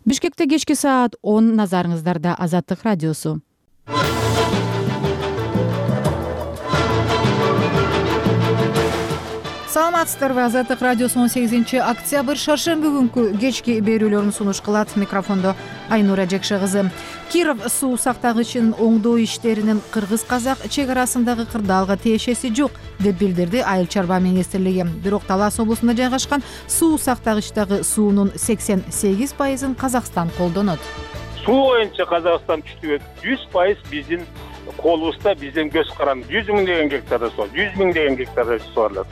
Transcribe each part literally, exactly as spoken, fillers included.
Бишкекте кечки саат он, назарыңыздарда Азаттык радиосу. Саламатсыздарбы? Азаттык радиосу он сегизинчи октябрь шаршемби күнкү кечки берүүлөрүн сунуш кылат. Микрофондо Айнура Жекше кызы. Киров суу сактагычын оңдоо иштеринин кыргыз-казак чек арасындагы кырдаалга тиешеси жок деп билдирди Айыл чарба министрлиги. Бирок Талас облусунда жайгашкан суу сактагычтагы суунун сексен сегиз пайызын Казакстан колдонот. Суу боюнча Казакстан күчтүү жүз пайыз биздин колубузда, биздин көз каранды жүз миң деген гектарда суу, жүз миң деген гектарда сууалат.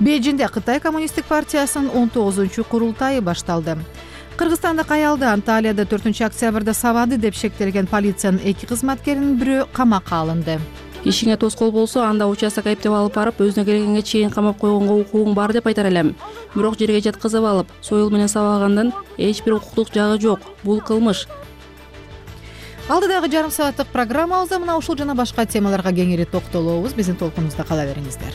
Бейжиңде Кытай коммунисттик партиясынын он тогузунчу курултайы башталды. Кыргызстандык аялды Анталияда төртүнчү октябрда сабады деп шектелген полициянын эки кызматкеринин бирөө камакка алынды. Ишиңе тоскоол болсо, анда участок айыптеп алып барып, өзүнө келгенге чейин камап койгонго укугуң бар деп айтар элем. Бирок жерге жаткызып алып, союл менен сабагандын эч бир укуктук жагы жок. Бул кылмыш. Алдыдагы жарым сааттык программабызда мына ушул жана башка темаларга кеңири токтолобуз. Биздин толкунубузда кала бериңиздер.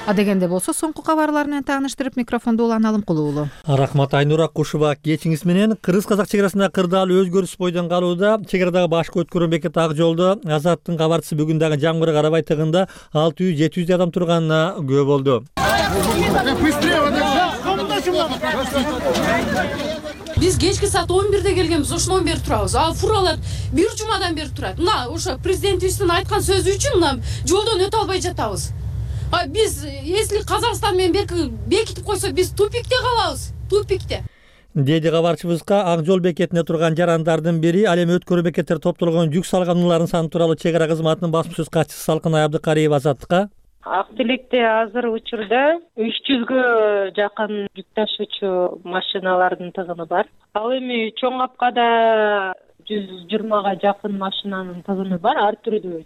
Адегенде болсо соңку кабарлар менен тааныштырып, микрофонду Улан Алымкулуу уулу. Рахмат Айнура Кушева. Кечиңиз менен кыргыз-казак чек арасында кырдаал өзгөрүш бойдон калууда. Чек арадагы башкы өткөрүү бекети Ак жолдо Азаттын кабарчысы бүгүн дагы жамгырга карабай тыгында алты жүз жети жүздөй адам турганына күбө болду. Биз кечки саат он бирде келгенбиз, ошондон бери турабыз. А фуралар бир жумадан бери турат. Мына ошо президентибиздин айткан сөзү үчүн мына жолдон өтө албай жатабыз. А биз, если Казакстан менен берки бекитип койсо, биз тупикте калабыз, тупикте. Деди кабарчыбызга Ак жол бекетинде турган жарандардын бири. Ал эми өткөрүү бекеттер топтолгон жүк салган унаалардын саны тууралуу чек ара кызматынын басма сөз катчысы Салкынай Абдыкариева Азаттыкка. Ак тилекте азыр учурда үч жүзгө жакын жүк ташуучу машиналардын тыгыны бар. Ал эми чоң капкада жүз жыйырмага жакын машинанын тыгыны бар, ар түрдүү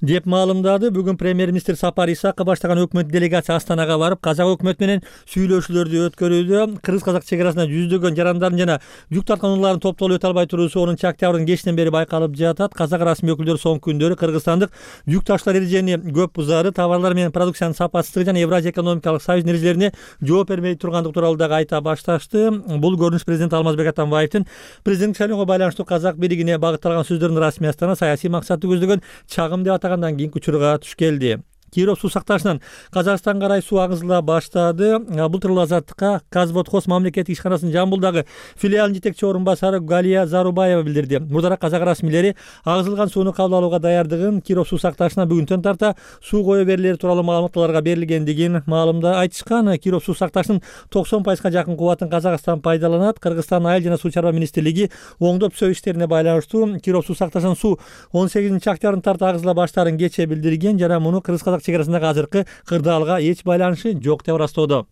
деп маалымдады. Бүгүн премьер-министр Сапар Исаков баштаган өкмөт делегация Астанага барып, казак өкмөтү менен сүйлөшүүлөрдү өткөрүүдө. Кыргыз-казак чек арасында жүздөгөн жарандардын жана жүк тарткан унаалардын топтолуп өтө албай туруусу онунчу октябрдын кечинен бери байкалып жатат. Казак расмий өкүлдөрү соңку күндөрү кыргызстандык жүк таштар эрежени көп бузары, товарлар менен продукциянын сапасыздыгы жана Евразия экономикалык союздун эрежелерине жооп бермей тургандыгы тууралуу дагы айта башташты. Бул көрүнүш президент Алмазбек Атамбаевдин президенттик шайлоого байланыштуу казак бийлигине багытталган сөздөрүнүн расмий Астана саясий максатты көздөгөн чагым деп атагандан кийинки учурга туш келди. Киров суу сактагычынан Казакстанга карай суу агызыла баштады. Бул тууралуу Азаттыкка Казводхоз мамлекеттик ишканасынын Жамбылдагы филиалынын жетекчи орун басары Галия Зарубаева билдирди. Мурдараак казак расмийлери агызылган сууну кабыл алууга даярдыгын, Киров суу сактагычына бүгүнтөн тарта суу коё берилери тууралуу маалыматтарга берилгендигин маалымда айтышкан. Киров суу сактагычынын токсон пайызга жакын кубатын Казакстан пайдаланат. Кыргызстан Айыл жана суу чарба министрлиги оңдоп түзөө иштерине байланыштуу Киров суу сактагычынын суу он сегизинчи октябрдын тарта агызыла баштаарын кечээ билдирген жана муну кыргыз-казак чек арасындагы азыркы кырдаалга эч байланышы жок деп ырастоодо.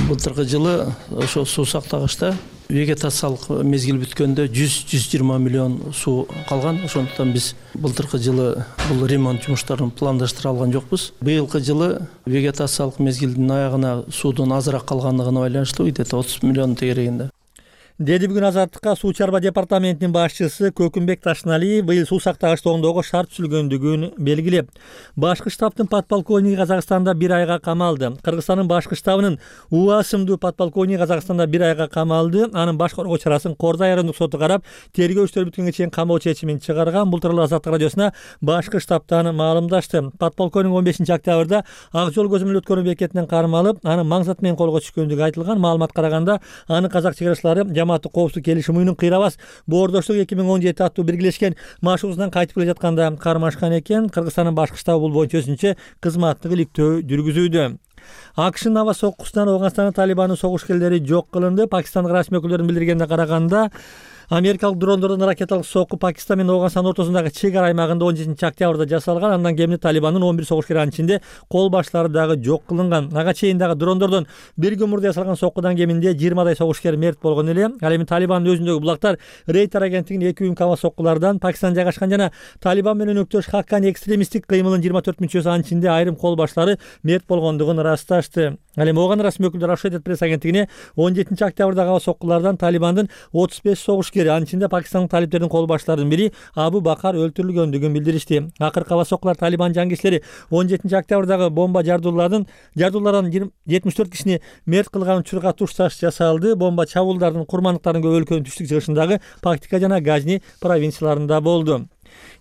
Былтыркы жылы ошо суу сактагычта вегетациялык мезгил бүткөндө жүз жүз жыйырма миллион суу калган. Ошондуктан биз былтыркы жылы бул ремонт жумуштарын пландаштыра алган жокпуз. Быйылкы жылы вегетациялык мезгилдин аягына суудун азыраак калгандыгына байланыштуу где-то отуз миллион тегерегинде. Деди бүгүн Азаттыкка суу чарба департаментинин башчысы Көкүмбек Ташналиев быйыл суу сактагычты оңдоого шарт түзүлгөндүгүн белгилеп, башкы штабтын подполковниги Казакстанда бир айга камалды. Кыргызстандын башкы штабынын Уа сымдуу подполковниги Казакстанда бир айга камалды. Анын баш коргоо чарасын Кордай райондук соту карап, тергөө иштери бүткөнгө чейин камоо чечимин чыгарган. Бул тууралуу Азаттык радиосуна башкы штабтан маалымдашты. Подполковник он бешинчи октябрда Ак жол көзөмөл өткөрүү бекетинен кармалып, анын маңзат менен колго түшкөндүгү айтылган. Маалымат караганда, аны казак чек арачылары Жамааттык коопсуздук келишим уюмунун кыйрабас боордоштук эки миң он жети аттуу биргелешкен машыгуусунан кайтып келе жатканда кармашкан экен. Кыргызстандын башкы штабы бул боюнча өзүнчө кызматтык иликтөө жүргүзүүдө. АКШнын аба соккусунан Афганстандын Талибандын согушкерлери жок кылынды. Пакистандык расмий өкүлдөрүнүн билдиргенине караганда, америкалык дрондордун ракеталык сокку Пакистан менен Афганстан ортосундагы чек ара аймагында он жетинчи октябрда жасалган. Андан кийин Талибандын он бир согушкери, анын ичинде кол баштары дагы жок кылынган. Ага чейин дагы дрондордон бир күн мурда жасалган соккудан кеминде жыйырмадай согушкер мерт болгон эле. Ал эми Талибандын өзүндөгү булактар Рейтер агенттигинин эки уюмкама соккулардан Пакистан жайгашкан жана Талибан менен өктөш Хаккани экстремисттик кыймылынын жыйырма төрт мүчөсү, анын ичинде айрым кол баштары мерт болгондугун ырасташты. Ал эми ооган расмий өкүлдөр Associated Press агенттигине он жетинчи октябрдагы соккулардан Талибандын отуз беш согушкери илгери, анын ичинде пакистандык талиптердин кол башчыларынын бири Абу Бакар өлтүрүлгөндүгүн билдиришти. Акыркы аба соккулар Талибан жангерчилери он жетинчи октябрдагы бомба жардуулардан жардуулардан жетимиш төрт кишини мерт кылган учурга туш таш жасалды. Бомба чабуулдардын курмандыктарын көп өлкөнүн түштүк чыгышындагы Пактика жана Газни провинцияларында болду.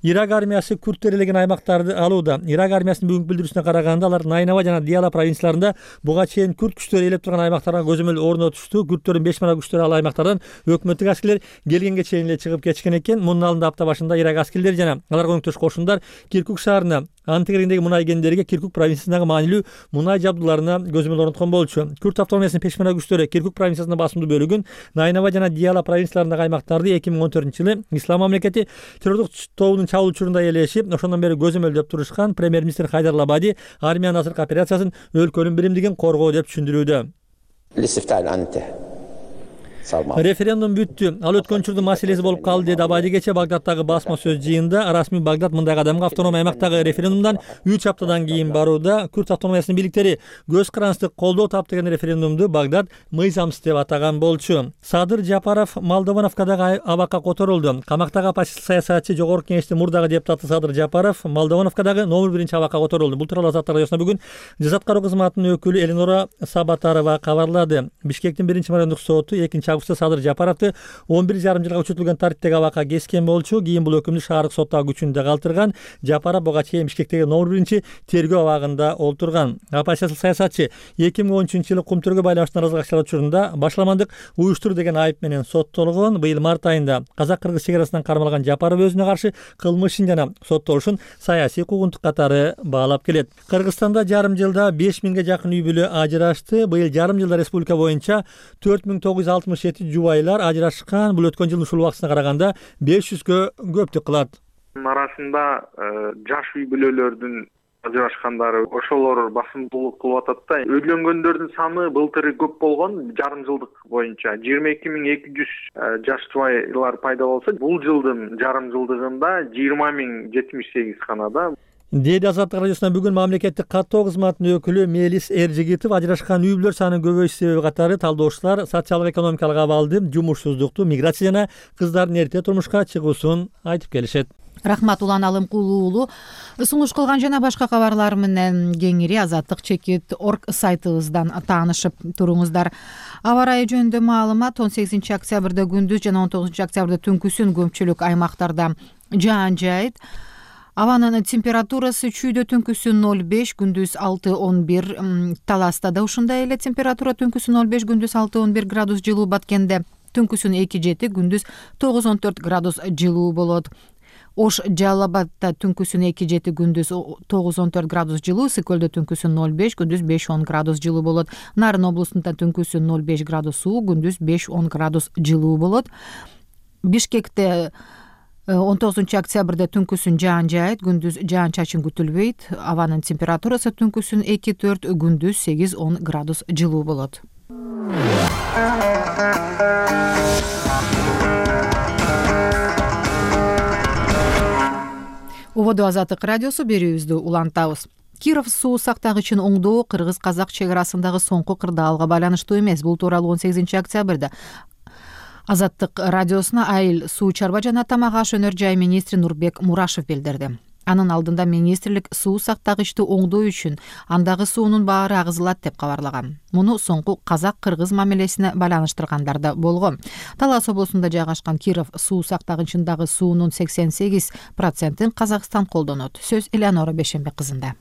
Ирак армиясы күрттөр ээлеген аймактарды алууда. Ирак армиясынын бүгүнкү билдирүүсүнө караганда, алар Найнава жана Диала провинцияларында буга чейин күрт күчтөр ээлеп турган аймактарга көзөмөл орнотушту. Күрттөрдүн бешмана күчтөрү ал аймактардан өкмөттүк аскерлер келгенге чейин эле чыгып кетишкен экен. Мунун алдында апта башында Ирак аскерлери жана аларга көмөктөш кошундар Киркук шаарына, анын тегерегиндеги мунай кендерге Киркук провинциясындагы маанилүү мунай жабдууларына көзөмөл орноткон болчу. Күрт автономиясынын пешмана күчтөрү Киркук провинциясынын басымдуу бөлүгүн, Найнава жана Диала провинцияларындагы аймактарды эки миң он төртүнчү жылы Ислам мамлекети террордук тобунун чабуул учурунда ээлешип, ошондон бери көзөмөлдөп турушкан. Премьер-министр Хайдар Лабади армиянын азыркы операциясын өлкөнүн биримдигин коргоо деп түшүндүрүүдө. Референдум бүттү. Ал өткөн учурдун маселеси болуп калды, деди Абади кече Багдадтагы басма сөз жыйынында. Расмий Багдад мындай кадамга автономия аймактагы референдумдан үч аптадан кийин барууда. Күрт автономиясынын бийликтери көз карандысты колдоо таптырган референдумду Багдад мыйзамсыз деп атаган болчу. Садыр Жапаров Молдовановкадагы абакка которулду. Камактагы оппозиция саясатчы жогорку кеңештин мурдагы депутаты Садыр Жапаров Молдовановкадагы номер биринчи абакка которулду. Бул тууралуу Азаттык радиосуна бүгүн жаза аткаруу кызматынын өкүлү Эленора Сабатарова кабарлады. Бишкектин биринчи марандык соту экинчи августта Садыр Жапаровду он бир жарым жылга күчөтүлгөн тартиптеги абакка кескен болчу. Кийин бул өкүмдү шаардык соттагы күчүндө калтырган. Жапаров буга чейин Бишкектеги номер биринчи тергөө абагында олтурган. Оппозициялык саясатчы эки миң он үчүнчү жылы кумтөргө байланыштуу наразылык акчалар учурунда башаламандык уюштур деген айып менен соттолгон. Быйыл март айында казак-кыргыз чегарасынан кармалган Жапаров өзүнө каршы кылмыш ишин жана соттолушун саясий куугунтук катары баалап келет. Кыргызстанда жарым жылда беш миңге жакын үй бүлө ажырашты. Быйыл жарым жылда республика боюнча төрт миң тогуз жүз алтымыш жети жубайлар ажырашкан. Бул өткөн жылдын ушул убактысына караганда беш жүзгө көптүк кылат. Арасында жаш үй бүлөлөрдүн ажырашкандары ошолор басымдуулук кылып атат да. Үйлөнгөндөрдүн саны былтыр көп болгон, жарым жылдык боюнча жыйырма эки миң эки жүз жаш жубайлар пайда болсо, бул жылдын жарым жылдыгында жыйырма миң жетимиш сегиз гана да. Деди Азаттык радиосуна бүгүн мамлекеттик каттоо кызматынын өкүлү Мелис Эржигитов ажырашкан үй бүлөлөр санынын көбөйүшү себеби катары талдоочулар социалдык экономикалык абалды, жумушсуздукту, миграция жана кыздардын эрте турмушка чыгуусун айтып келишет. Рахмат, Улан Алымкулуу уулу. Сунуш кылган жана башка кабарлар менен кеңири азаттык чекит точка орг сайтыбыздан таанышып туруңуздар. Аба ырайы жөнүндө маалымат: он сегизинчи октябрда күндүз жана он тогузунчу октябрда түнкүсүн көпчүлүк аймактарда жаан жаайт. Абанын температурасы чүйдө түнкүсүн ноль беш, күндүз алты он бир. Таласта да ушундай эле температура, түнкүсүн ноль беш, күндүз алты он бир градус жылуу. Баткенде түнкүсүн эки жети, күндүз тогуз он төрт градус жылуу болот. Ош Жалалабадта түнкүсүн эки жети, күндүз тогуз он төрт градус жылуу. Сыкөлдө түнкүсүн ноль беш, күндүз беш он градус жылуу болот. Нарын облусунда түнкүсүн ноль беш градус суу, күндүз беш он градус жылуу болот. Бишкекте он тогузунчу октябрда түнкүсүн жаан жаайт, күндүз жаан чачын күтүлбөйт. Абанын температурасы түнкүсүн эки төрт, күндүз сегиз он градус жылуу болот. Убоду Азаттык радиосу берүүбүздү улантабыз. Киров суу сактагычын оңдоо кыргыз-казак чек арасындагы соңку кырдаалга байланыштуу эмес. Бул тууралуу он сегизинчи октябрда Азаттык радиосуна Айыл суу чарба жана тамак аш өнөр жай министри Нурбек Мурашев билдирди. Анын алдында министрлик суу сактагычты оңдоо үчүн андагы суунун баары агызылат деп кабарлаган. Муну соңку казак-кыргыз мамилесине байланыштыргандар да болгон. Талас облусунда жайгашкан Киров суу сактагычындагы суунун сексен сегиз процентин Казакстан колдонот. Сөз Элеонора Бешенбек кызында.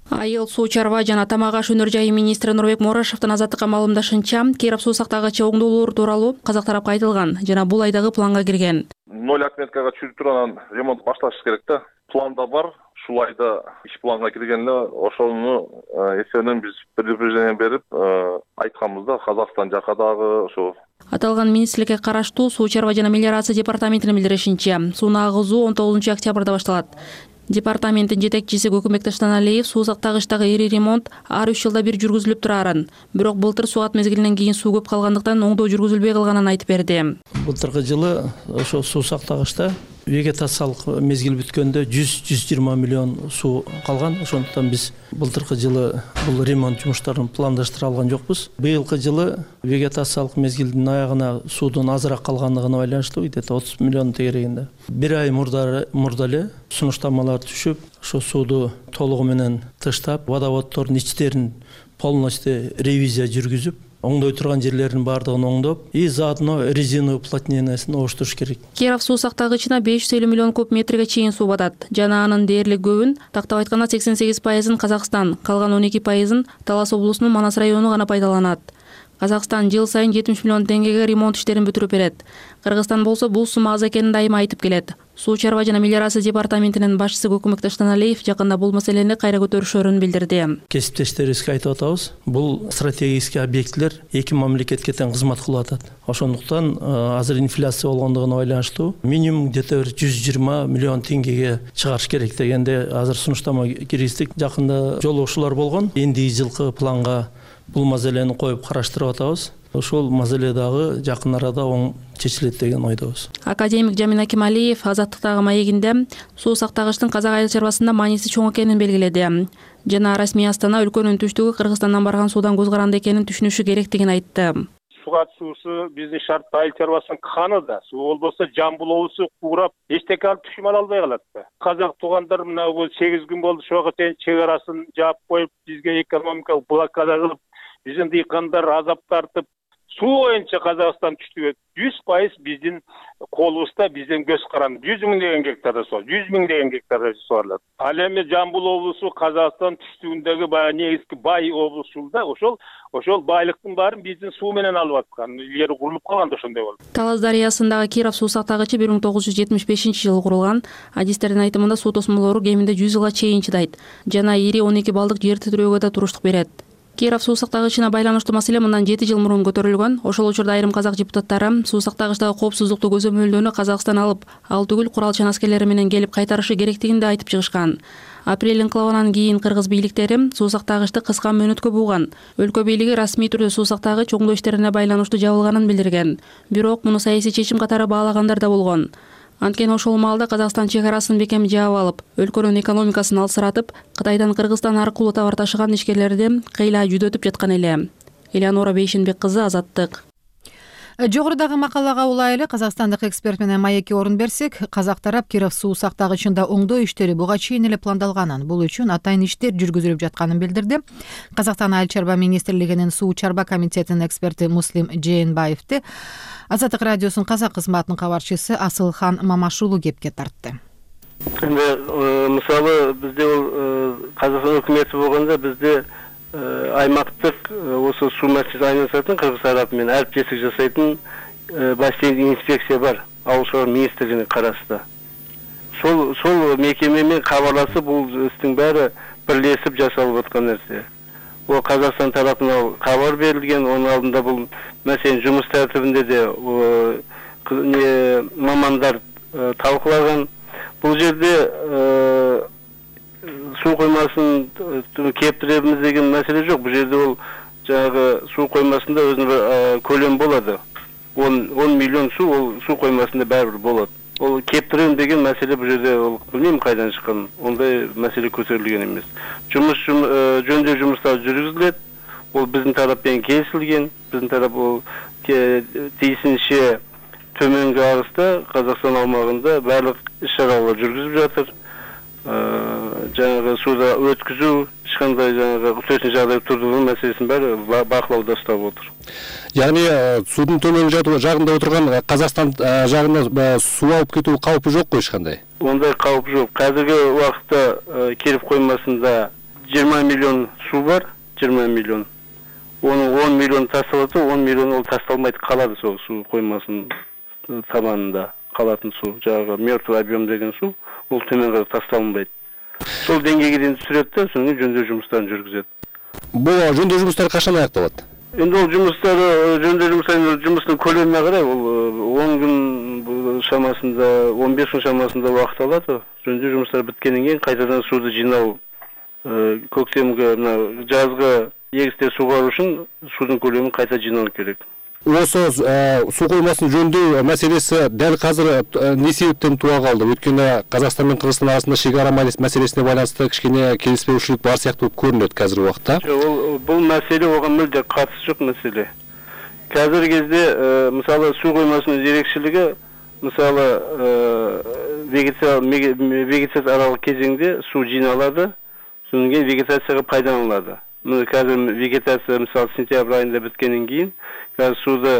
Айыл суу чарба жана тамак аш өнөр жайы министри Нурбек Мурашевдин Азаттыкка маалымдашынча, Киров суу сактагычы оңдоолор тууралуу казак тарапка айтылган жана бул айдагы планга кирген. ноль отметкага түшүрүп турган ремонт башташ керек да. Планда бар, ушул айда иш планга кирген эле. Ошону эсебинен биз предупреждение берип айтканбыз да, Казакстан жака дагы ошо. Аталган министрликке караштуу суу чарба жана мелиорация департаментинин билдиришинче, сууну агызуу он тогузунчу октябрда башталат. Департаменттин жетекчиси Көкүмбек Таштаналиев суу сактагычтагы ири ремонт ар үч жылда бир жүргүзүлүп турарын, бирок былтыр суугат мезгилинен кийин суу көп калгандыктан оңдоо жүргүзүлбөй калганын айтып берди. Былтыркы жылы ошо суу сактагычта Вегетациялык мезгил бүткөндө жүз жүз жыйырма миллион суу калган. Ошондуктан биз былтыркы жылы бул ремонт жумуштарын пландаштыра алган жокпуз. Быйылкы жылы вегетациялык мезгилдин аягына суудун азыраак калгандыгына байланыштуу где-то отуз миллион тегерегинде. Бир ай мурда мурда эле сунуштамалар түшүп, ошо сууду толугу менен тыштап, водоводдордун ичтерин полностью ревизия жүргүзүп, оңдой турган жерлерин баардыгын оңдоп, и заодно резина уплотнениясын оштуруш керек. Киров суу сактагычына беш жүз элүү миллион куб метрге чейин суу батат. Жана анын дээрлик көбүн, тактап айтканда сексен сегиз пайызын Казакстан, калган он эки пайызын Талас облусунун Манас району гана пайдаланат. Казакстан жыл сайын жетимиш миллион теңгеге ремонт иштерин бүтүрүп берет. Кыргызстан болсо бул сумма аз экенин дайыма айтып келет. Суу чарба жана мелиорация департаментинин башчысы Көкмөктөш Таналиев жакында бул маселени кайра көтөрүшөрүн билдирди. Кесиптештерибизге айтып атабыз, бул стратегический объектлер эки мамлекетке тең кызмат кылып атат. Ошондуктан азыр инфляция болгондугуна байланыштуу минимум где-то жүз жыйырма миллион теңгеге чыгарыш керек дегенде азыр сунуштама киргиздик. Жакында жолугушуулар болгон. Эндиги жылкы планга бул маселени коюп караштырып атабыз. Ошол маселе дагы жакын арада оң чечилет деген ойдобуз. Академик Жамин Акималиев Азаттыктагы маегинде суу сактагычтын Казак айыл чарбасында мааниси чоң экенин белгиледи. Жана расмий Астана өлкөнүн түштүгү Кыргызстандан барган суудан көз каранды экенин түшүнүшү керектигин айтты. Сугат суусу биздин шарттуу айыл чарбасынын каны да. Суу болбосо Жамбыл облусу куурап, эчтеке алып түшүм ала албай калат да. Казак туугандар мына бул сегиз күн болду ошого чейин чек арасын жаап коюп, бизге экономикалык блокада кылып, биздин дыйкандар азап тартып, суу боюнча Казакстан түштүгү жүз пайыз биздин колубузда, биздин көз каранды. жүз миңдеген гектар суу, жүз миңдеген гектар суарылат. Ал эми Жамбыл облусу Казакстан түштүгүндөгү баягы негизги бай облусу да, ошол ошол байлыктын баарын биздин суу менен алып аткан. Илгери курулуп калган да ошондой болду. Талас дарыясындагы Киров суу сактагычы бир миң тогуз жүз жетимиш бешинчи жылы курулган. Адистердин айтымында суу тосмолору кеминде жүз жылга чейин чыдайт. Жана ири он эки балдык жер титирөөгө да туруштук берет. Киров суу сактагычына байланыштуу маселе мындан жети жыл мурун көтөрүлгөн. Ошол учурда айрым казак депутаттары суу сактагычтагы коопсуздукту көзөмөлдөөнү Казакстан алып, ал түгүл куралчан аскерлери менен келип кайтарышы керектигин да айтып чыгышкан. Апрель инкылабынан кийин кыргыз бийликтери суу сактагычты кыска мөөнөткө буган. Өлкө бийлиги расмий түрдө суу сактагыч оңдоо иштерине байланыштуу жабылганын билдирген. Бирок муну саясий чечим катары баалагандар да болгон. Анткени ошол маалда Казакстан чек арасын бекем жаап алып, өлкөнүн экономикасын алсыратып, Кытайдан Кыргызстан аркылуу товар ташыган ишкерлерди кыйла жүдөтүп жаткан эле. Элеонора Бейшенбек кызы, Азаттык. Жогорудагы макалага улай эле казакстандык эксперт менен маекке орун берсек, казак тарап Киров суу сактагычында оңдоо иштери буга чейин эле пландалганын, бул үчүн атайын иштер жүргүзүлүп жатканын билдирди. Казакстан айыл чарба министрлигинин суу чарба комитетинин эксперти Муслим Жээнбаевди Азаттык радиосунун казак кызматынын кабарчысы Асылхан Мамашулу кепке тартты. Эми мисалы бизде бул Казакстан өкмөтү болгондо бизде аймактык осы суу маселесине айналышатын Кыргыз тарапы менен әріптестік жасайтын бассейн инспекция бар, ауыл шаруашылык министрлигине карашты. Сол сол мекемемен кабарласып, бул истин баары бирлешип жасалып аткан нерсе. Ол Казакстан тарапынан кабар берилген, онун алдында бул маселенин жумуш тартибинде де мамандар талкулаган. Бул жерде суу коймасын кептиребиз деген маселе жок. Бул жерде ол жанагы суу коймасында өзүнүн көлөм болот. он миллион суу ол суу коймасында баары бир болот. Ол кептирем деген маселе бул жерде ол билмейм кайдан чыккан. Ондай маселе көтөрүлгөн эмес. Жумуш жөндөө жумуштары жүргүзүлөт. Ол биздин тарап менен келишилген. Биздин тарап ол тиешинче төмөнгү агыста Казакстан аумагында баардык иш-чаралар жүргүзүлүп жатыр. Жаңағы суда өткізу, ешқандай жаңағы төтенше жағдай тудыруу маселесин баары бакылауда ұстап отыр. Яғни судун төмөнкү жагында отурган Казакстан жагына суу алып кетүү каупи жок го ешкандай? Ондай кауп жок. Қазіргі убакытта Киров коймасында жыйырма миллион суу бар, жыйырма миллион. Оның он миллион тасталат, он миллион ол тасталмайт калады сол суу коймасынын табанында калатын суу. Жаңағы мертвый объем деген суу ол төмөнгө тасталынбайт. Сол деңгейге дейин түшүрөт да, соң жөндөө жумуштарын жүргүзөт. Бул жөндөө жумуштары качан аякталат? Эми ол жумуштар жөндөө жумуштарынын жумусунун көлөмүнө карай ол он күн шамасында, он беш күн шамасында убакыт алат. Жөндөө жумуштары биткенден кийин кайтадан сууду жыйнау, көктемге, мына жазгы эгисте сугаруу үчүн суудун көлөмүн кайта жыйноо керек. Осы суу коймасын жөндөө маселеси дәл казыр эмне себептен туа калды? Өткөнде Казакстан менен Кыргызстан арасында шек ара маселесине байланыштуу кичине келиспешүүлүк бар сыяктуу көрүнөт казыркы убакта. Ол бул маселе ого мүлде катышы жок маселе. Қазіргі кезде мысалы су коймасының ерекшелігі мысалы вегетация аралық кезеңде су жиналады, содан кейін вегетацияға пайдаланылады. Қазір вегетация мысалы сентябрь айында біткеннен кейін қазір суды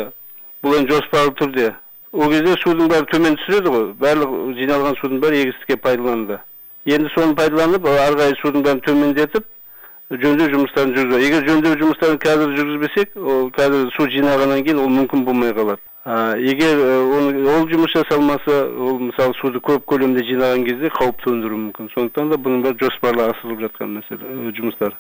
бұл енді жоспарлы түрде. Ол кезде судың бәрі төмен түсіреді ғой, барлық жиналған судың бәрі егістікке пайдаланды. Енді соны пайдаланып, ары қарай судың бәрін төмендетіп жөндөө жумуштарын жүргүзөт. Эгер жөндөө жумуштарын қазір жүргүзбесек, ол қазір су жинагандан кейін ол мүмкүн болмай калат. Эгер ол жумуш жасалмаса, ол мисалы суду көп көлөмдө жинаган кезде кауіп төндүрүү мүмкүн. Сондуктан да бунун баары жоспарлуу асырылып жаткан маселе жумуштар.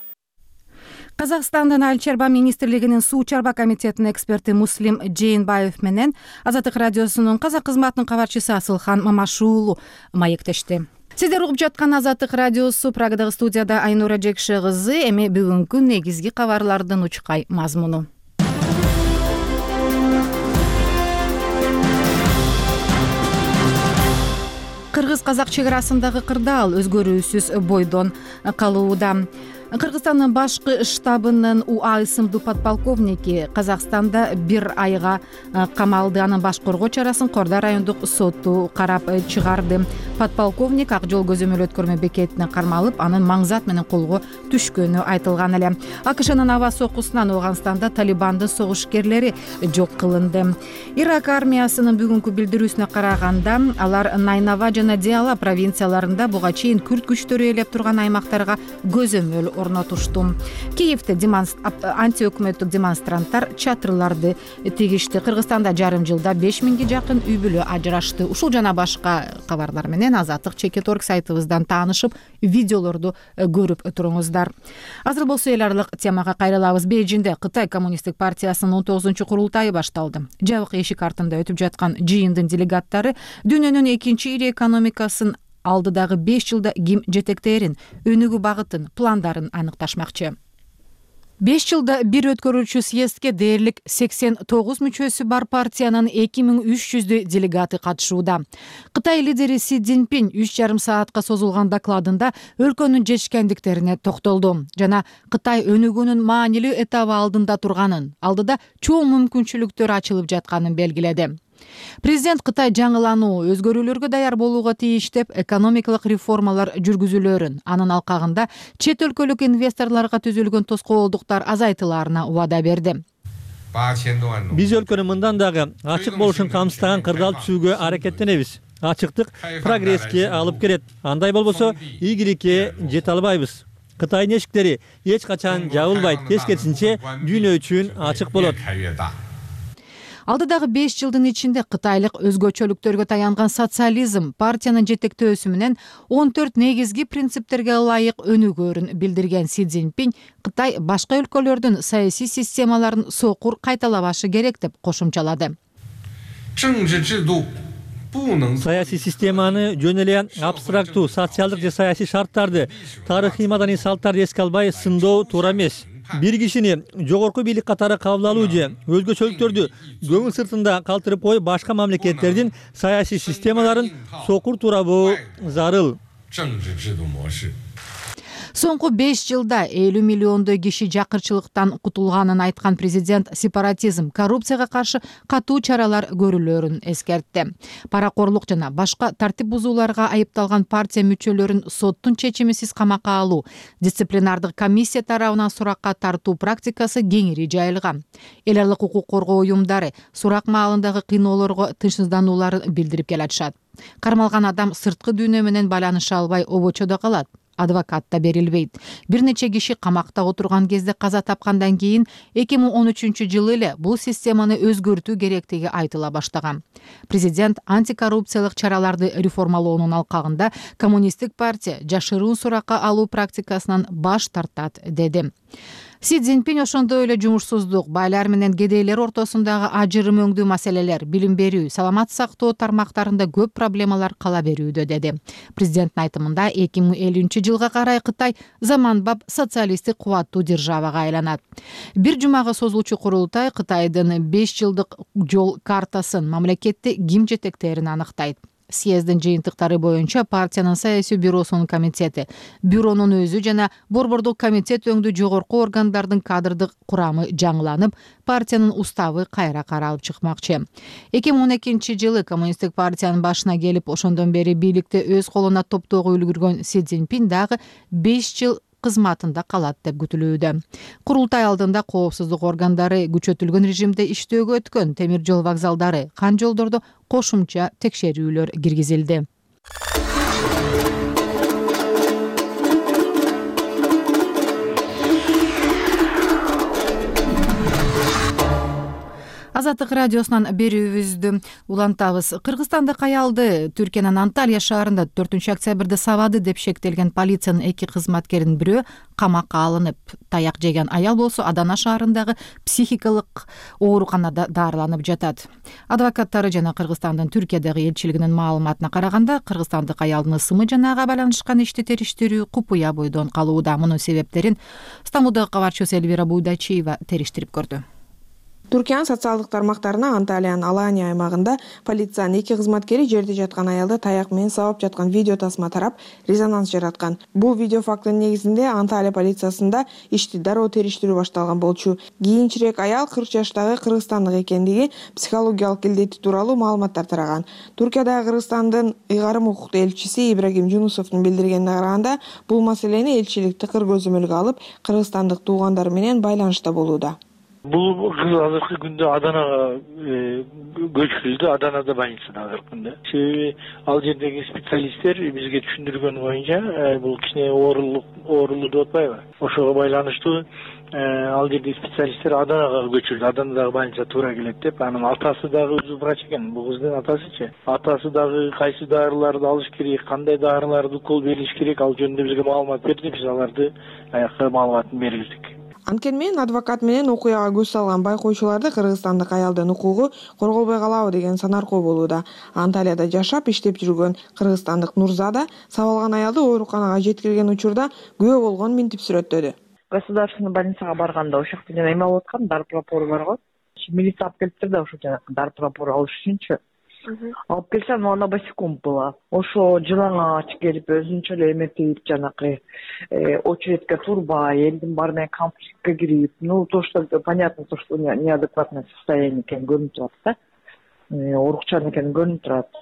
Казакстандын Айыл чарба министрлигинин суу чарба комитетинин эксперти Муслим Жээнбаев менен Азаттык радиосунун казак кызматынын кабарчысы Асылхан Мамашуулу маектешти. Сиздер угуп жаткан Азаттык радиосу, Прагадагы студияда Айнура Жекше кызы. Эми бүгүнкү негизги кабарлардын учкай мазмуну. Кыргыз-казак чек арасындагы кырдаал өзгөрүүсүз бойдон калууда. Кыргызстандын башкы штабынын УА ысымдуу подполковники Казакстанда бир айга камалды. Анын баш коргоо чарасын Корда райондук соту карап чыгарды. Подполковник ак жол көзөмөл өткөрмө бекетине кармалып, анын маңзат менен колго түшкөнү айтылган эле. АКШнын аба сокусунан Ооганстанда Талибандын согушкерлери жок кылынды. Ирак армиясынын бүгүнкү билдирүүсүнө караганда, алар Найнава жана Диала провинцияларында буга чейин күрд күчтөрү ээлеп турган аймактарга көзөмөл орнотушту. Киевде антиөкмөттүк демонстранттар чатырларды тигишти. Кыргызстанда жарым жылда беш миңге жакын үй бүлө ажырашты. Ушул жана башка кабарлар менен Азаттык чекит орг сайтыбыздан таанышып, видеолорду көрүп туруңуздар. Азыр болсо эл аралык темага кайрылабыз. Бейжинде Кытай коммунисттик партиясынын он тогузунчу курултайы башталды. Жабык эшик артында өтүп жаткан жыйындын делегаттары дүйнөнүн экинчи ири экономикасын алдыдагы беш жылда ким жетектерин, өнүгүү багытын, пландарын аныкташмакчы. беш жылда бир өткөрүүчү съездге дээрлик сексен тогуз мүчөсү бар партиянын эки миң үч жүздөй делегаты катышууда. Кытай лидери Си Цзиньпин үч жарым саатка созулган докладында өлкөнүн жетишкендиктерине токтолду жана Кытай өнүгүүнүн маанилүү этабы алдында турганын, алдыда чоң мүмкүнчүлүктөр ачылып жатканын белгиледи. Президент Кытай жаңылануу, өзгөрүүлөргө даяр болууга тийиш деп экономикалык реформалар жүргүзүлөрүн, анын алкагында чет өлкөлүк инвесторлорго түзүлгөн тоскоолдуктар азайтылаарына убада берди. Биз өлкөнүн мындан дагы ачык болушун камсыздаган кырдаал түзүүгө аракеттенебиз. Ачыктык прогресске алып келет. Андай болбосо ийгиликке жете албайбыз. Кытайдын эшиктери эч качан жабылбайт, тескерисинче дүйнө үчүн ачык болот. Алдыдагы беш жылдын ичинде кытайлык өзгөчөлүктөргө таянган социализм партиянын жетектөөсү менен он төрт негизги принциптерге ылайык өнүгөөрүн билдирген Си Цзиньпин Кытай башка өлкөлөрдүн саясий системаларын сокур кайталабашы керек деп кошумчалады. Саясий системаны жөн эле абстрактуу, социалдык же саясий шарттарды, тарыхый маданий салттарды эске албай сындоо туура эмес. Бир кишини жогорку бийлик катары кабыл алуу же өзгөчөлүктөрдү көңүл сыртында калтырып коюп, башка мамлекеттердин саясий системаларын сокур туурабы зарыл. Соңку беш жылда элүү миллиондой киши жакырчылыктан кутулганын айткан президент сепаратизм, коррупцияга каршы катуу чаралар көрүлөрүн эскертти. Паракорлук жана башка тартип бузууларга айыпталган партия мүчөлөрүн соттун чечимисиз камакка алуу, дисциплинардык комиссия тарабынан суракка тартуу практикасы кеңири жайылган. Эл аралык укук коргоо уюмдары сурак маалындагы кыйноолорго тынчсызданууларын билдирип келатышат. Кармалган адам сырткы дүйнө менен байланыша албай обочодо калат. Адвокат да берилбейт. Бир нече киши камакта отурган кезде каза тапкандан кийин эки миң он үчүнчү жылы эле бул системаны өзгөртүү керектиги айтыла баштаган. Президент антикоррупциялык чараларды реформалоонун алкагында коммунисттик партия жашыруун суракка алуу практикасынан баш тартат деди. Си Цзиньпин ошондой эле жумушсуздук, байлар менен кедейлер ортосундагы ажырым өңдүү маселелер, билим берүү, саламат сактоо тармактарында көп проблемалар кала берүүдө деди. Президенттин айтымында эки миң элүүнчү жылга карай Кытай заманбап социалисттик кубаттуу державага айланат. Бир жумага созулчу курултай Кытайдын беш жылдык жол картасын, мамлекетти ким жетектерин аныктайт. Съездин жыйынтыктары боюнча партиянын саясий бюросунун комитети, бюронун өзү жана борбордук комитет өңдүү жогорку органдардын кадрдык курамы жаңыланып, партиянын уставы кайра каралып чыкмакчы. эки миң он экинчи жылы коммунисттик партиянын башына келип, ошондон бери бийликти өз колуна топтоого үлгүргөн Си Цзиньпин дагы беш жыл кызматында калат деп күтүлүүдө. Курултай алдында коопсуздук органдары күчөтүлгөн режимде иштөөгө өткөн темир жол вокзалдары, кан жолдордо кошумча текшерүүлөр киргизилди. Азаттык радиосунан берүүбүздү улантабыз. Кыргызстандык аялды Түркиянын Анталия шаарында төртүнчү октябрда сабады деп шектелген полициянын эки кызматкеринин бирөө камакка алынып, таяк жеген аял болсо Адана шаарындагы психикалык ооруканада дарыланып жатат. Адвокаттары жана Кыргызстандын Түркиядагы элчилигинин маалыматына караганда, кыргызстандык аялдын ысымы жана ага байланышкан ишти териштирүү купуя бойдон калууда. Мунун себептерин Стамбулдагы кабарчыбыз Элвира Буйдачиева териштирип көрдү. Түркиянын социалдык тармактарына Анталиянын Алания аймагында полициянын эки кызматкери жерде жаткан аялды таяк менен сабап жаткан видео тасма тарап, резонанс жараткан. Бул видео фактынын негизинде Анталия полициясында ишти дароо териштирүү башталган болчу. Кийинчерээк аял кырк жаштагы кыргызстандык экендиги, психологиялык илдети тууралуу маалыматтар тараган. Туркиядагы Кыргызстандын ыйгарым укуктуу элчиси Ибрагим Жунусовдун билдиргенине караганда, бул маселени элчилик тыкыр көзөмөлгө алып, кыргызстандык туугандары менен байланышта болууда. Бул кыз азыркы күндө Аданага көчүрүлдү, Аданада больницада азыркы күндө. Себеби ал жердеги специалисттер бизге түшүндүргөн боюнча, бул кичине оорулук оорулуу деп атпайбы? Ошого байланыштуу ал жердеги специалисттер Аданага көчүрдү. Аданадагы больница туура келет деп, анын атасы дагы өзү врач экен. Бул кыздын атасычы. Атасы дагы кайсы дарыларды алыш керек, кандай дарыларды укол бериш керек, ал жөнүндө бизге маалымат берди. Биз аларды аякка маалыматын берилдик. Анткени мен адвокат менен окуяга көз салган байкоочуларды кыргызстандык аялдын укугу корголбой калабы деген санаркоо болууда. Анталияда жашап иштеп жүргөн кыргызстандык Нурзада сабалган аялды ооруканага жеткирген учурда күбө болгон минтип сүрөттөдү. Государственный больницага барганда ошол жакта жана эме алып аткан, дар пропору бар го. Милиция алып келиптир да ошол жана дар пропору алыш үчүнчү. Алып келсем, но она босиком была. Ошо жылаңач келип өзүнчө эле эметип, жанакы очередке турбай, элдин баары менен конфликтке кирип, ну то, что понятно, то, что неадекватное состояние экени көрүнүп турат да. Оорукчан экени көрүнүп турат.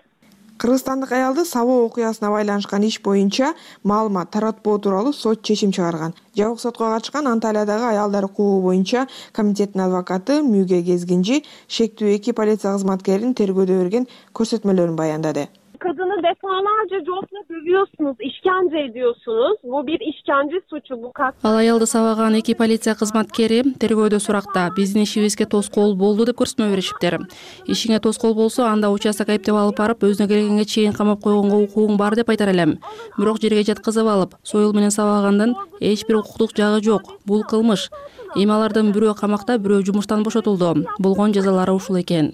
Кыргызстандык аялды сабоо окуясына байланышкан иш боюнча маалымат таратпоо тууралуу сот чечим чыгарган. Жабык сотко катышкан Анталиядагы аялдар укугу боюнча комитеттин адвокаты Мүгө Кезгинчи шектүү эки полиция кызматкеринин тергөөдө берген көрсөтмөлөрүн баяндады. Kadını defalarca copla dövüyorsunuz, işkence ediyorsunuz. Bu bir işkence suçu, bu kat. Ал аялды сабаган эки полиция кызматкери тергөөдө суракта биздин ишибизге тоскоол болду деп көрсөтмө беришиптер. Ишиңе тоскоол болсо, анда участок айыптап алып барып, өзүнө келгенге чейин камап койгонго укугуң бар деп айтар элем. Бирок жерге жаткызып алып, союл менен сабагандын эч бир укуктук жагы жок. Бул кылмыш. Эми алардын бирөө камакта, бирөө жумуштан бошотулду. Болгон жазалары ушул экен.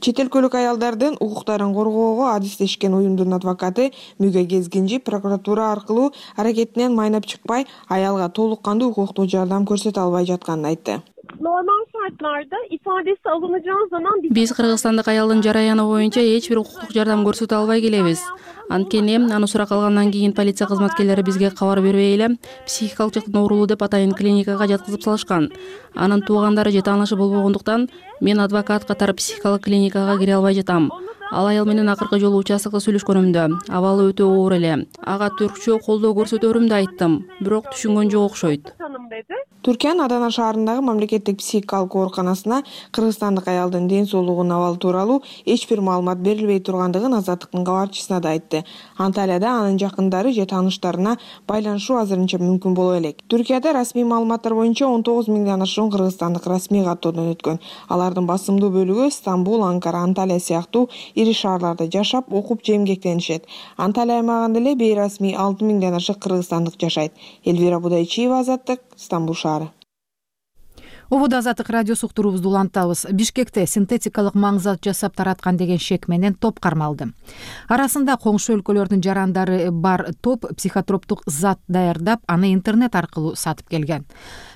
Чет өлкөлүк аялдардын укуктарын коргоого адистешкен уюмдун адвокаты Мүгө Кезгинчи прокуратура аркылуу аракетинен майнап чыкпай, аялга толук кандуу укуктук жардам көрсөтө албай жатканын айтты. Normal şartlarda ifadesi alınacağı zaman биз кыргызстандык аялдын жараяны боюнча эч бир укуктук жардам көрсөтө албай келебиз. Анткени аны сурак алгандан кийин полиция кызматкерлери бизге кабар бербей эле психикалык жактан оорулуу деп атайын клиникага жаткызып салышкан. Анын туугандары же таанышы болбогондуктан мен адвокат катары психикалык клиникага кире албай жатам. Ал аял менен акыркы жолу участокто сүйлөшкөнүмдө абалы өтө оор эле. Ага түркчө колдоо көрсөтөрүмдү айттым, бирок түшүнгөн жок окшойт. Түркиянын Адана шаарындагы мамлекеттик психикалык ооруканасына кыргызстандык аялдын ден соолугунун абалы тууралуу эч бир маалымат берилбей тургандыгын Азаттыктын кабарчысына да айтты. Анталияда анын жакындары же тааныштарына байланышуу азырынча мүмкүн боло элек. Түркияда расмий маалыматтар боюнча он тогуз миңден ашуун кыргызстандык расмий каттоодон өткөн. Алардын басымдуу бөлүгү Стамбул, Анкара, Анталия сыяктуу ири шаарларда жашап, окуп же эмгектенишет. Анталия аймагында эле бейрасмий алты миңден ашык кыргызстандык жашайт. Элвира Будайчиева, Азаттык, Стамбул шаары. Ободо Азаттык радиосу уктуруубузду улантабыз. Бишкекте синтетикалык маңзат жасап тараткан деген шек менен топ кармалды. Арасында коңшу өлкөлөрдүн жарандары бар топ психотроптук зат даярдап, аны интернет аркылуу сатып келген.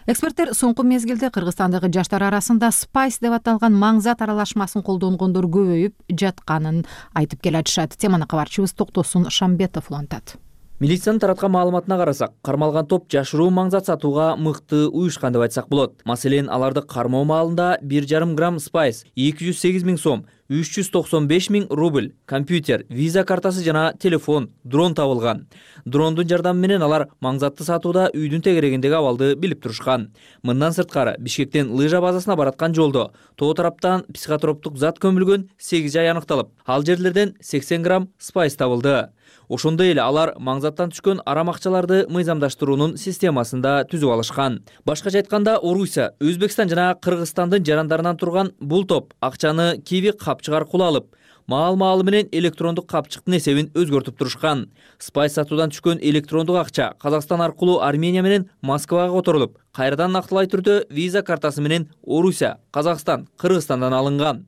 Эксперттер соңку мезгилде Кыргызстандагы жаштар арасында спайс деп аталган маңзат аралашмасын колдонгондор көбөйүп жатканын айтып келатышат. Теманы кабарчыбыз Токтосун Шамбетов улантат. Милициянын тараткан маалыматына карасак, кармалган топ жашыруу маңзат сатууга мыкты уюшкан деп айтсак болот. Маселен, аларды кармоо маалында бир жарым грамм спайс, эки жүз сегиз миң сом, үч жүз токсон беш миң рубль, компьютер, виза картасы жана телефон, дрон табылган. Дрондун жардамы менен алар маңзатты сатууда үйдүн тегерегиндеги абалды билип турушкан. Мындан сырткары, Бишкектен лыжа базасына бараткан жолдо тоо тараптан психотроптук зат көмүлгөн сегиз жай аныкталып, ал жерлерден сексен грамм спайс табылды. Ошондой эле алар маңзаттан түшкөн арам акчаларды мыйзамдаштыруунун системасында түзүп алышкан. Башкача айтканда, Орусия, Өзбекстан жана Кыргызстандын жарандарынан турган бул топ акчаны Киви капчык аркылуу алып, маал-маалы менен электрондук капчыктын эсебин өзгөртүп турушкан. Спайс сатуудан түшкөн электрондук акча Казакстан аркылуу Армения менен Москвага которулуп, кайрадан нактылай түрдө виза картасы менен Орусия, Казакстан, Кыргызстандан алынган.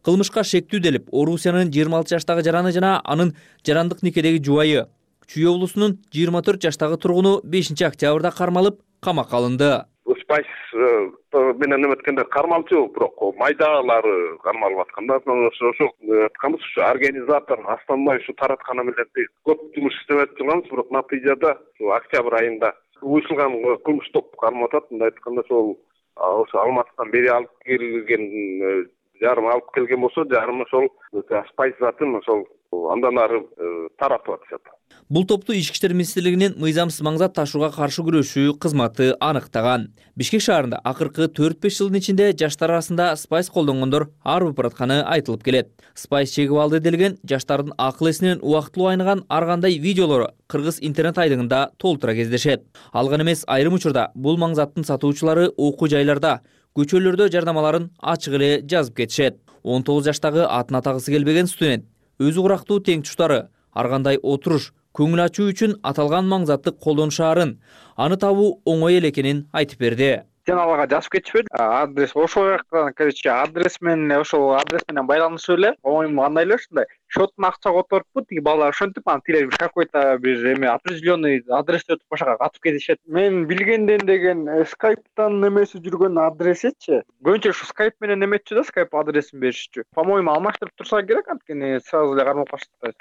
Кылмышка шектүү делип, Орусиянын жыйырма алты жаштагы жараны жана анын жарандык никедеги жубайы, Чүй облусунун жыйырма төрт жаштагы тургуну бешинчи октябрда кармалып, камакка алынды. Спайс менен эметкенде кармалчу, бирок майдалары кармалып атканда, ошо айтканбыз, ушу организатор астанбай ушу таратканы менен көп жумуш иштеп жатканбыз, бирок натыйжада октябрь айында уюшулган кылмыш топ кармап атат. Мындай айтканда, ошол ошо Алматыдан бери алып келген жарым алып келген болсо, жарым ошол спайс затын ошол андан ары таратып атышат. Бул топту Ички иштер министрлигинин мыйзамсыз маңзат ташууга каршы күрөшүү кызматы аныктаган. Бишкек шаарында акыркы төрт беш жылдын ичинде жаштар арасында спайс колдонгондор арбып баратканы айтылып келет. Спайс чегип алды делген жаштардын акыл эсинен убактылуу айныган ар кандай видеолору кыргыз интернет айдыңында толтура кездешет. Алган эмес, айрым учурда бул маңзаттын сатуучулары окуу жайларда, көчөлөрдө жардамаларын ачык эле жазып кетишет. он тогуз жаштагы атын атагысы келбеген студент өзү курактуу тең туштары ар кандай отуруш, көңүл ачуу үчүн аталган маңзатты колдонушаарын, аны табуу оңой эле экенин айтып берди. Жаналарга жазып кетишпеди. Адрес ошол жактан, короче, адрес менен ошол адрес менен байланышып эле. Оюм кандай эле ушундай. Счеттун акча которуппу, тиги балдар ошентип, анан тиле какой-то бир эме определенный адрести өтүп ошого катып кетишет. Мен билгенден деген скайптан немеси жүргөн адресечи. Көбүнчө ушу скайп менен эметчү да, скайп адресин беришчү. По-моему, алмаштырып турса керек, анткени сразу эле кармап калышат.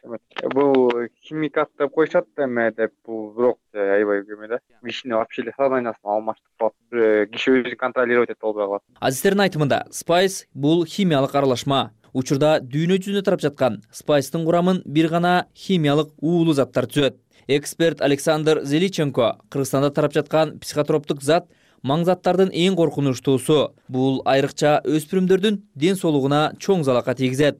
Бул химикат деп коюшат эме деп, бул бирок аябай эме да. Вишни вообще эле сознаниясын алмаштырып калат. Киши өзүн контролировать эте албай калат. Азиздердин айтымында, спайс бул химиялык аралашма. Учурда дүйнө жүзүндө тарап жаткан спайстын курамын бир гана химиялык уулуу заттар түзөт. Эксперт Александр Зеличенко Кыргызстанда тарап жаткан психотроптук зат маңзаттардын эң коркунучтуусу. Бул айрыкча өспүрүмдөрдүн ден соолугуна чоң залака тийгизет.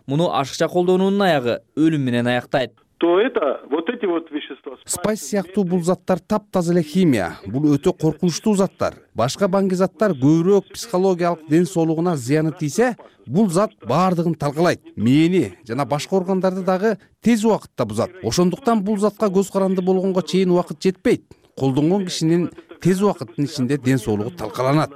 Муну ашыкча колдонуунун аягы өлүм менен аяктайт. То это вот эти вот вещества. Спайс сыяктуу бул заттар таптаза эле химия. Бул өтө коркунучтуу заттар. Башка баңги заттар көбүрөөк психологиялык ден соолугуна зыяны тийсе, бул зат баардыгын талкалайт. Мээни жана башка органдарды дагы тез убакытта бузат. Ошондуктан бул затка көз каранды болгонго чейин убакыт жетпейт. Колдонгон кишинин тез убакыттын ичинде ден соолугу талкаланат.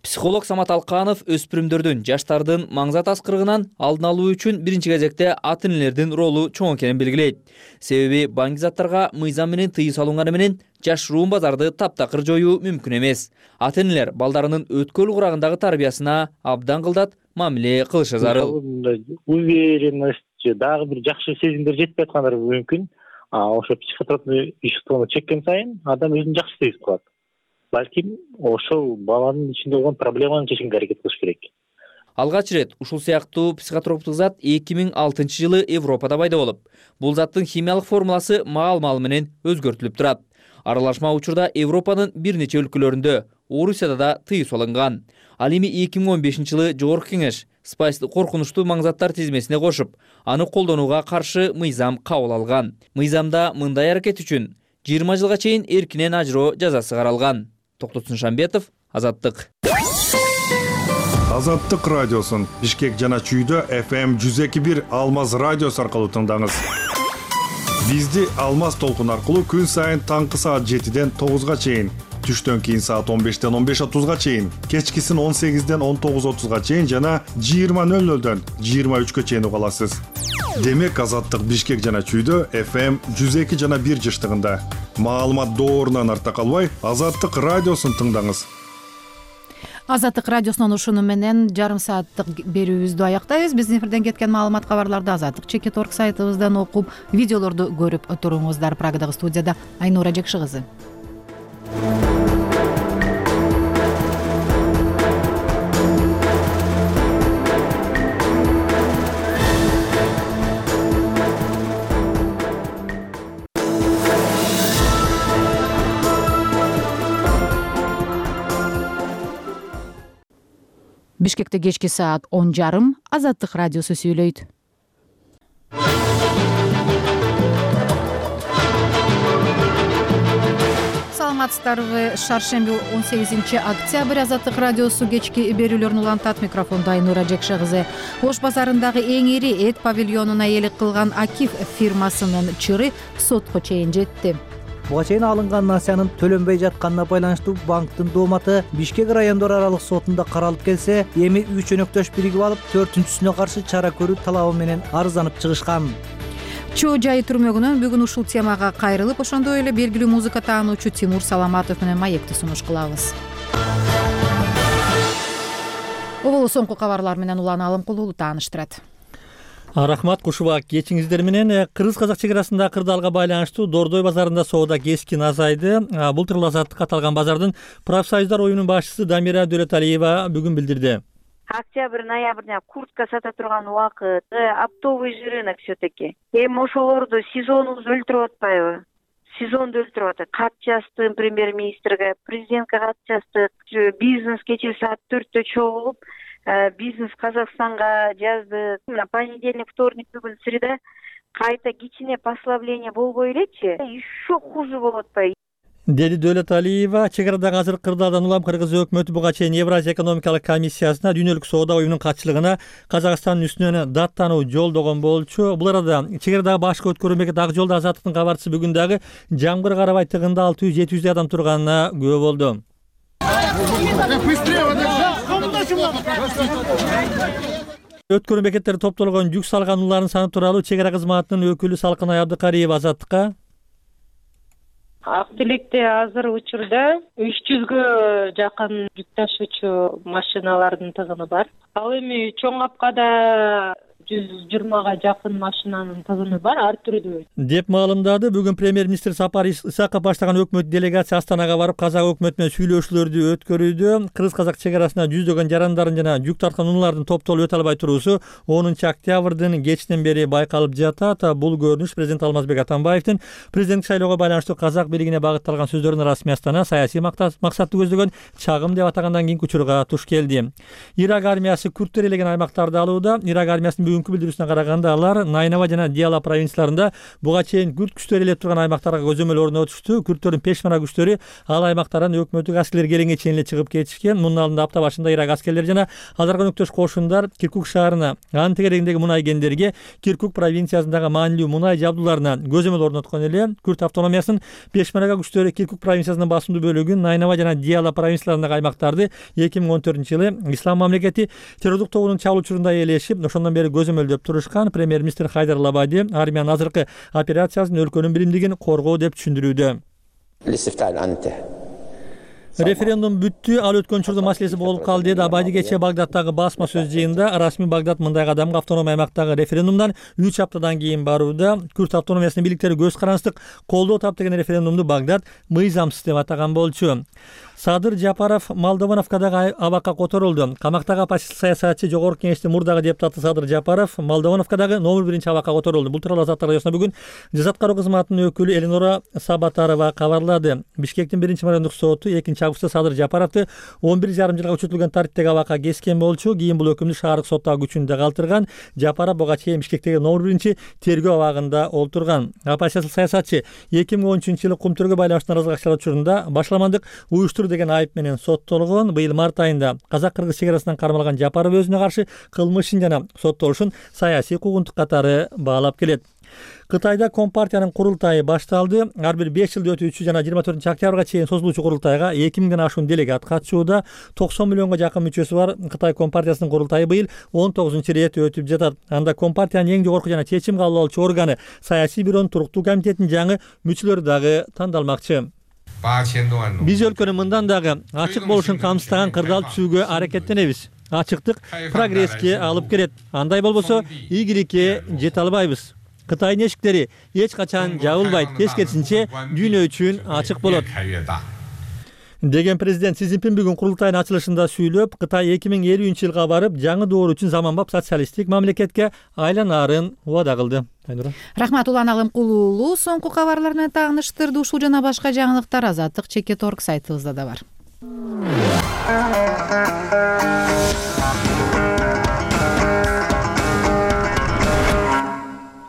Психолог Самат Алканов өспүрүмдөрдүн, жаштардын маңзат аскырыгынан алдын алуу үчүн биринчи кезекте ата-энелердин ролу чоң экенин белгилейт. Себеби баңги заттарга мыйзам менен тыюу салынганы менен жашыруун базарды таптакыр жоюу мүмкүн эмес. Ата-энелер балдарынын өткөл курагындагы тарбиясына абдан кылдат мамиле кылышы зарыл. Уверенность, дагы бир жакшы сезимдер жетпей аткандары мүмкүн. Ошо психотропный веществону чеккен сайын адам өзүн жакшы сезип калат. Балким ошол баланын ичинде болгон проблеманы чечкенге аракет кылыш керек. Алгач ирет ушул сыяктуу психотроптук зат эки миң алтынчы жылы Европада пайда болуп, бул заттын химиялык формуласы маал-маал менен өзгөртүлүп турат. Аралашма учурда Европанын бир нече өлкөлөрүндө, Орусияда да тыюу салынган. Ал эми эки миң он бешинчи жылы Жогорку Кеңеш спайсты коркунучтуу маңзаттар тизмесине кошуп, аны колдонууга каршы мыйзам кабыл алган. Мыйзамда мындай аракет үчүн жыйырма жылга чейин эркинен ажыроо жазасы каралган. Токтотун Шамбетов, Азаттык. Азаттык радиосун Бишкек жана Чүйдө эф эм жүз эки бир Алмаз радиосу аркылуу тыңдаңыз. Бизди Алмаз толкун аркылуу күн сайын таңкы саат жетиден тогузга чейин, түштөн кийин саат он бештен он беш отузга чейин, кечкисин он сегизден он тогуз отузга чейин жана жыйырма нөл нөлдөн жыйырма үчкө чейин уга аласыз. Демек Азаттык Бишкек жана Чүйдө эф эм жүз эки жана бир жыштыгында. Маалымат доорунан артта калбай, Азаттык радиосун тыңдаңыз. Азаттык радиосунун ушуну менен жарым сааттык берүүбүздү аяктайбыз. Биздин эфирден кеткен маалымат кабарларды Азаттык чекит точка орг сайтыбыздан окуп, видеолорду көрүп туруңуздар. Прагадагы студияда Айнура Жекши кызы. Бишкекте кечки саат он жарым Азаттык радиосу сүйлөйт. Саламатсыздарбы? Шаршемби он сегизинчи октябрь Азаттык радиосу кечки берүүлөрүн улантат. Микрофондо Айнура Жекши кызы. Ош базарындагы эң ири эт павильонуна ээлик кылган Акиф фирмасынын чыры сотко чейин жетти. Буга чейин алынган насыянын төлөнбөй жатканына байланыштуу банктын дооматы Бишкек райондор аралык сотунда каралып келсе, эми үч өнөктөш биригип алып, төртүнчүсүнө каршы чара көрүү талабы менен арызданып чыгышкан. Чоо жайы түрмөгүнөн бүгүн ушул темага кайрылып, ошондой эле белгилүү музыка таануучу Тимур Саламатов менен маекти сунуш кылабыз. Оболу соңку кабарлар менен Улан Алымкулуу тааныштырат. Рахмат, кушубак кечиңиздер менен. Кыргыз-казак чек арасында кырдаалга байланыштуу Дордой базарында соода кескин азайды. Былтыр Азаттыкка аталган базардын профсоюздар оюнунун башчысы Дамира Дөөлөталиева бүгүн билдирди. Октябрь-ноябрда куртка сата турган убакыт, оптовый рынок все-таки. Эми ошолорду сезонубуз өлтүрүп атпайбы? Сезонду өлтүрүп атат. Кат жаздым премьер-министрге, президентке кат жаздык. Бизнес кечээ саат төрттө чогулуп, бизнес Казакстанга жаздык. Понедельник, вторник, бүгүн среда кайта кичине послабление болбой элечи, еще хуже болуп атпайбы? Деди Дөөлөталиева, чек арадагы азыр кырдаалдан улам Кыргыз өкмөтү буга чейин Евразия экономикалык комиссиясына дүйнөлүк соода оюнунун катчылыгына Казакстандын үстүнөн даттануу жолдогон болчу. Бул арада чек арадагы башкы өткөрүү мекети Ак жолдо Азаттыктын кабарчысы бүгүн дагы жамгыр карабай тыгында алты жүз жети жүздөй адам турганына күбө болду. Өткөрүү бекеттерде топтолгон жүк салгануулардын саны тууралуу чек ара кызматынын өкүлү Салкынай Абдыкариева Азаттыкка: Ак Тилекте азыр учурда үч жүзгө жакын жүк ташуучу машиналардын тыгыны бар. Ал эми чоң капкада жүз жыйырмага жакын машинанын тыгыны бар, ар түрдүү. Деп маалымдады бүгүн премьер-министр Сапар Исаков баштаган өкмөт делегация Астанага барып, казак өкмөтү менен сүйлөшүүлөрдү өткөрүүдө. Кыргыз-казак чек арасында жүздөгөн жарандардын жана жүк тарткан унаалардын топтолуп өтө албай туруусу онунчу октябрдын кечинен бери байкалып жатат. Бул көрүнүш президент Алмазбек Атамбаевдин президенттик шайлоого байланыштуу казак бийлигине багытталган сөздөрүнүн расмий Астана саясий максатты көздөгөн чагым деп атагандан кийинки учурга туш келди. Ирак армиясы күрттөр элеген аймактарды алууда. Ирак армиясынын бүгүнкү билдирүүсүнө караганда алар Найнава жана Диала провинцияларында буга чейин күрт күчтөр ээлеп турган аймактарга көзөмөл орнотушту. Күрттөрдүн пешмана күчтөрү ал аймактардан өкмөттүк аскерлер келгенге чейин эле чыгып кетишкен. Мунун алдында апта башында Ирак аскерлери жана аларга өнөктөш кошундар Киркук шаарына, анын тегерегиндеги мунай кендерге, Киркук провинциясындагы маанилүү мунай жабдууларына көзөмөл орноткон эле. Күрт автономиясынын пешманага күчтөрү Киркук провинциясынын басымдуу бөлүгүн, Найнава жана Диала провинцияларындагы аймактарды эки миң он төртүнчү жылы Ислам мамлекети террордук тобунун чабуулчуларында ээлешип, ошондон бери көзөмөлдөп турушкан. Премьер-министр Хайдар Лабади армиянын азыркы операциясын өлкөнүн биримдигин коргоо деп түшүндүрүүдө. Референдум бүттү, ал өткөн учурда маселеси болуп калды деди Абади кечээ Багдадтагы басма сөз жыйынында. Расмий Багдад мындай кадамга автономия аймактагы референдумдан үч аптадан кийин барууда. Күрт автономиясынын бийликтери көз карандык колдоо таап деген референдумду Багдад мыйзамсыз деп атаган болчу. Садыр Жапаров Молдовановкадагы абакка которулду. Камактагы оппозиция саясатчы Жогорку Кеңештин мурдагы депутаты Садыр Жапаров Молдовановкадагы номер биринчи абакка которулду. Бул тууралуу Азаттык радиосуна бүгүн жаза аткаруу кызматынын өкүлү Эленора Сабатарова кабарлады. Бишкектин биринчи райондук соту экинчи августта Садыр Жапаровду он бир жарым жылга күчөтүлгөн тартиптеги абакка кескен болчу. Кийин бул өкүмдү шаардык соттагы күчүндө калтырган. Жапаров буга чейин Бишкектеги номер биринчи тергөө абагында олтурган. Оппозициялык саясатчы эки миң он үчүнчү жылы кумтөргө байланыштуу наразылык акчалар учурунда башламандык уюштуруу деген айып менен соттолгон. Быйыл март айында казак-кыргыз чек арасынан кармалган Жапаров өзүнө каршы кылмышын жана соттолушун саясий куугунтук катары баалап келет. Кытайда Компартиянын курултайы башталды. Ар бир беш жылда өтүүчү жана жыйырма төртүнчү октябрга чейин созулуучу курултайга эки миңден ашуун делегат катышууда. токсон миллионго жакын мүчөсү бар Кытай Компартиясынын курултайы быйыл он тогузунчу ирет өтүп жатат. Анда Компартиянын эң жогорку жана чечим кабыл алуучу органы саясий бюронун туруктуу комитетинин жаңы мүчөлөрү дагы тандалмакчы. Биз өлкөнүн мындан дагы ачык болушун камсыздаган кырдаал түзүүгө аракеттенебиз. Ачыктык прогресске алып келет. Андай болбосо ийгиликке жете албайбыз. Кытайдын эшиктери эч качан жабылбайт, тескерисинче дүйнө үчүн ачык болот деген президент Си Цзиньпин бүгүн курултайдын ачылышында сүйлөп, Кытай эки миң элүүнчү жылга барып, жаңы доор үчүн заманбап социалисттик мамлекетке айланаарын убада кылды. Рахмат, Улан Алымкул уулу соңку кабарлар менен тааныштырды. Ушул жана башка жаңылыктар Азаттык чекит точка орг сайтыбызда да бар.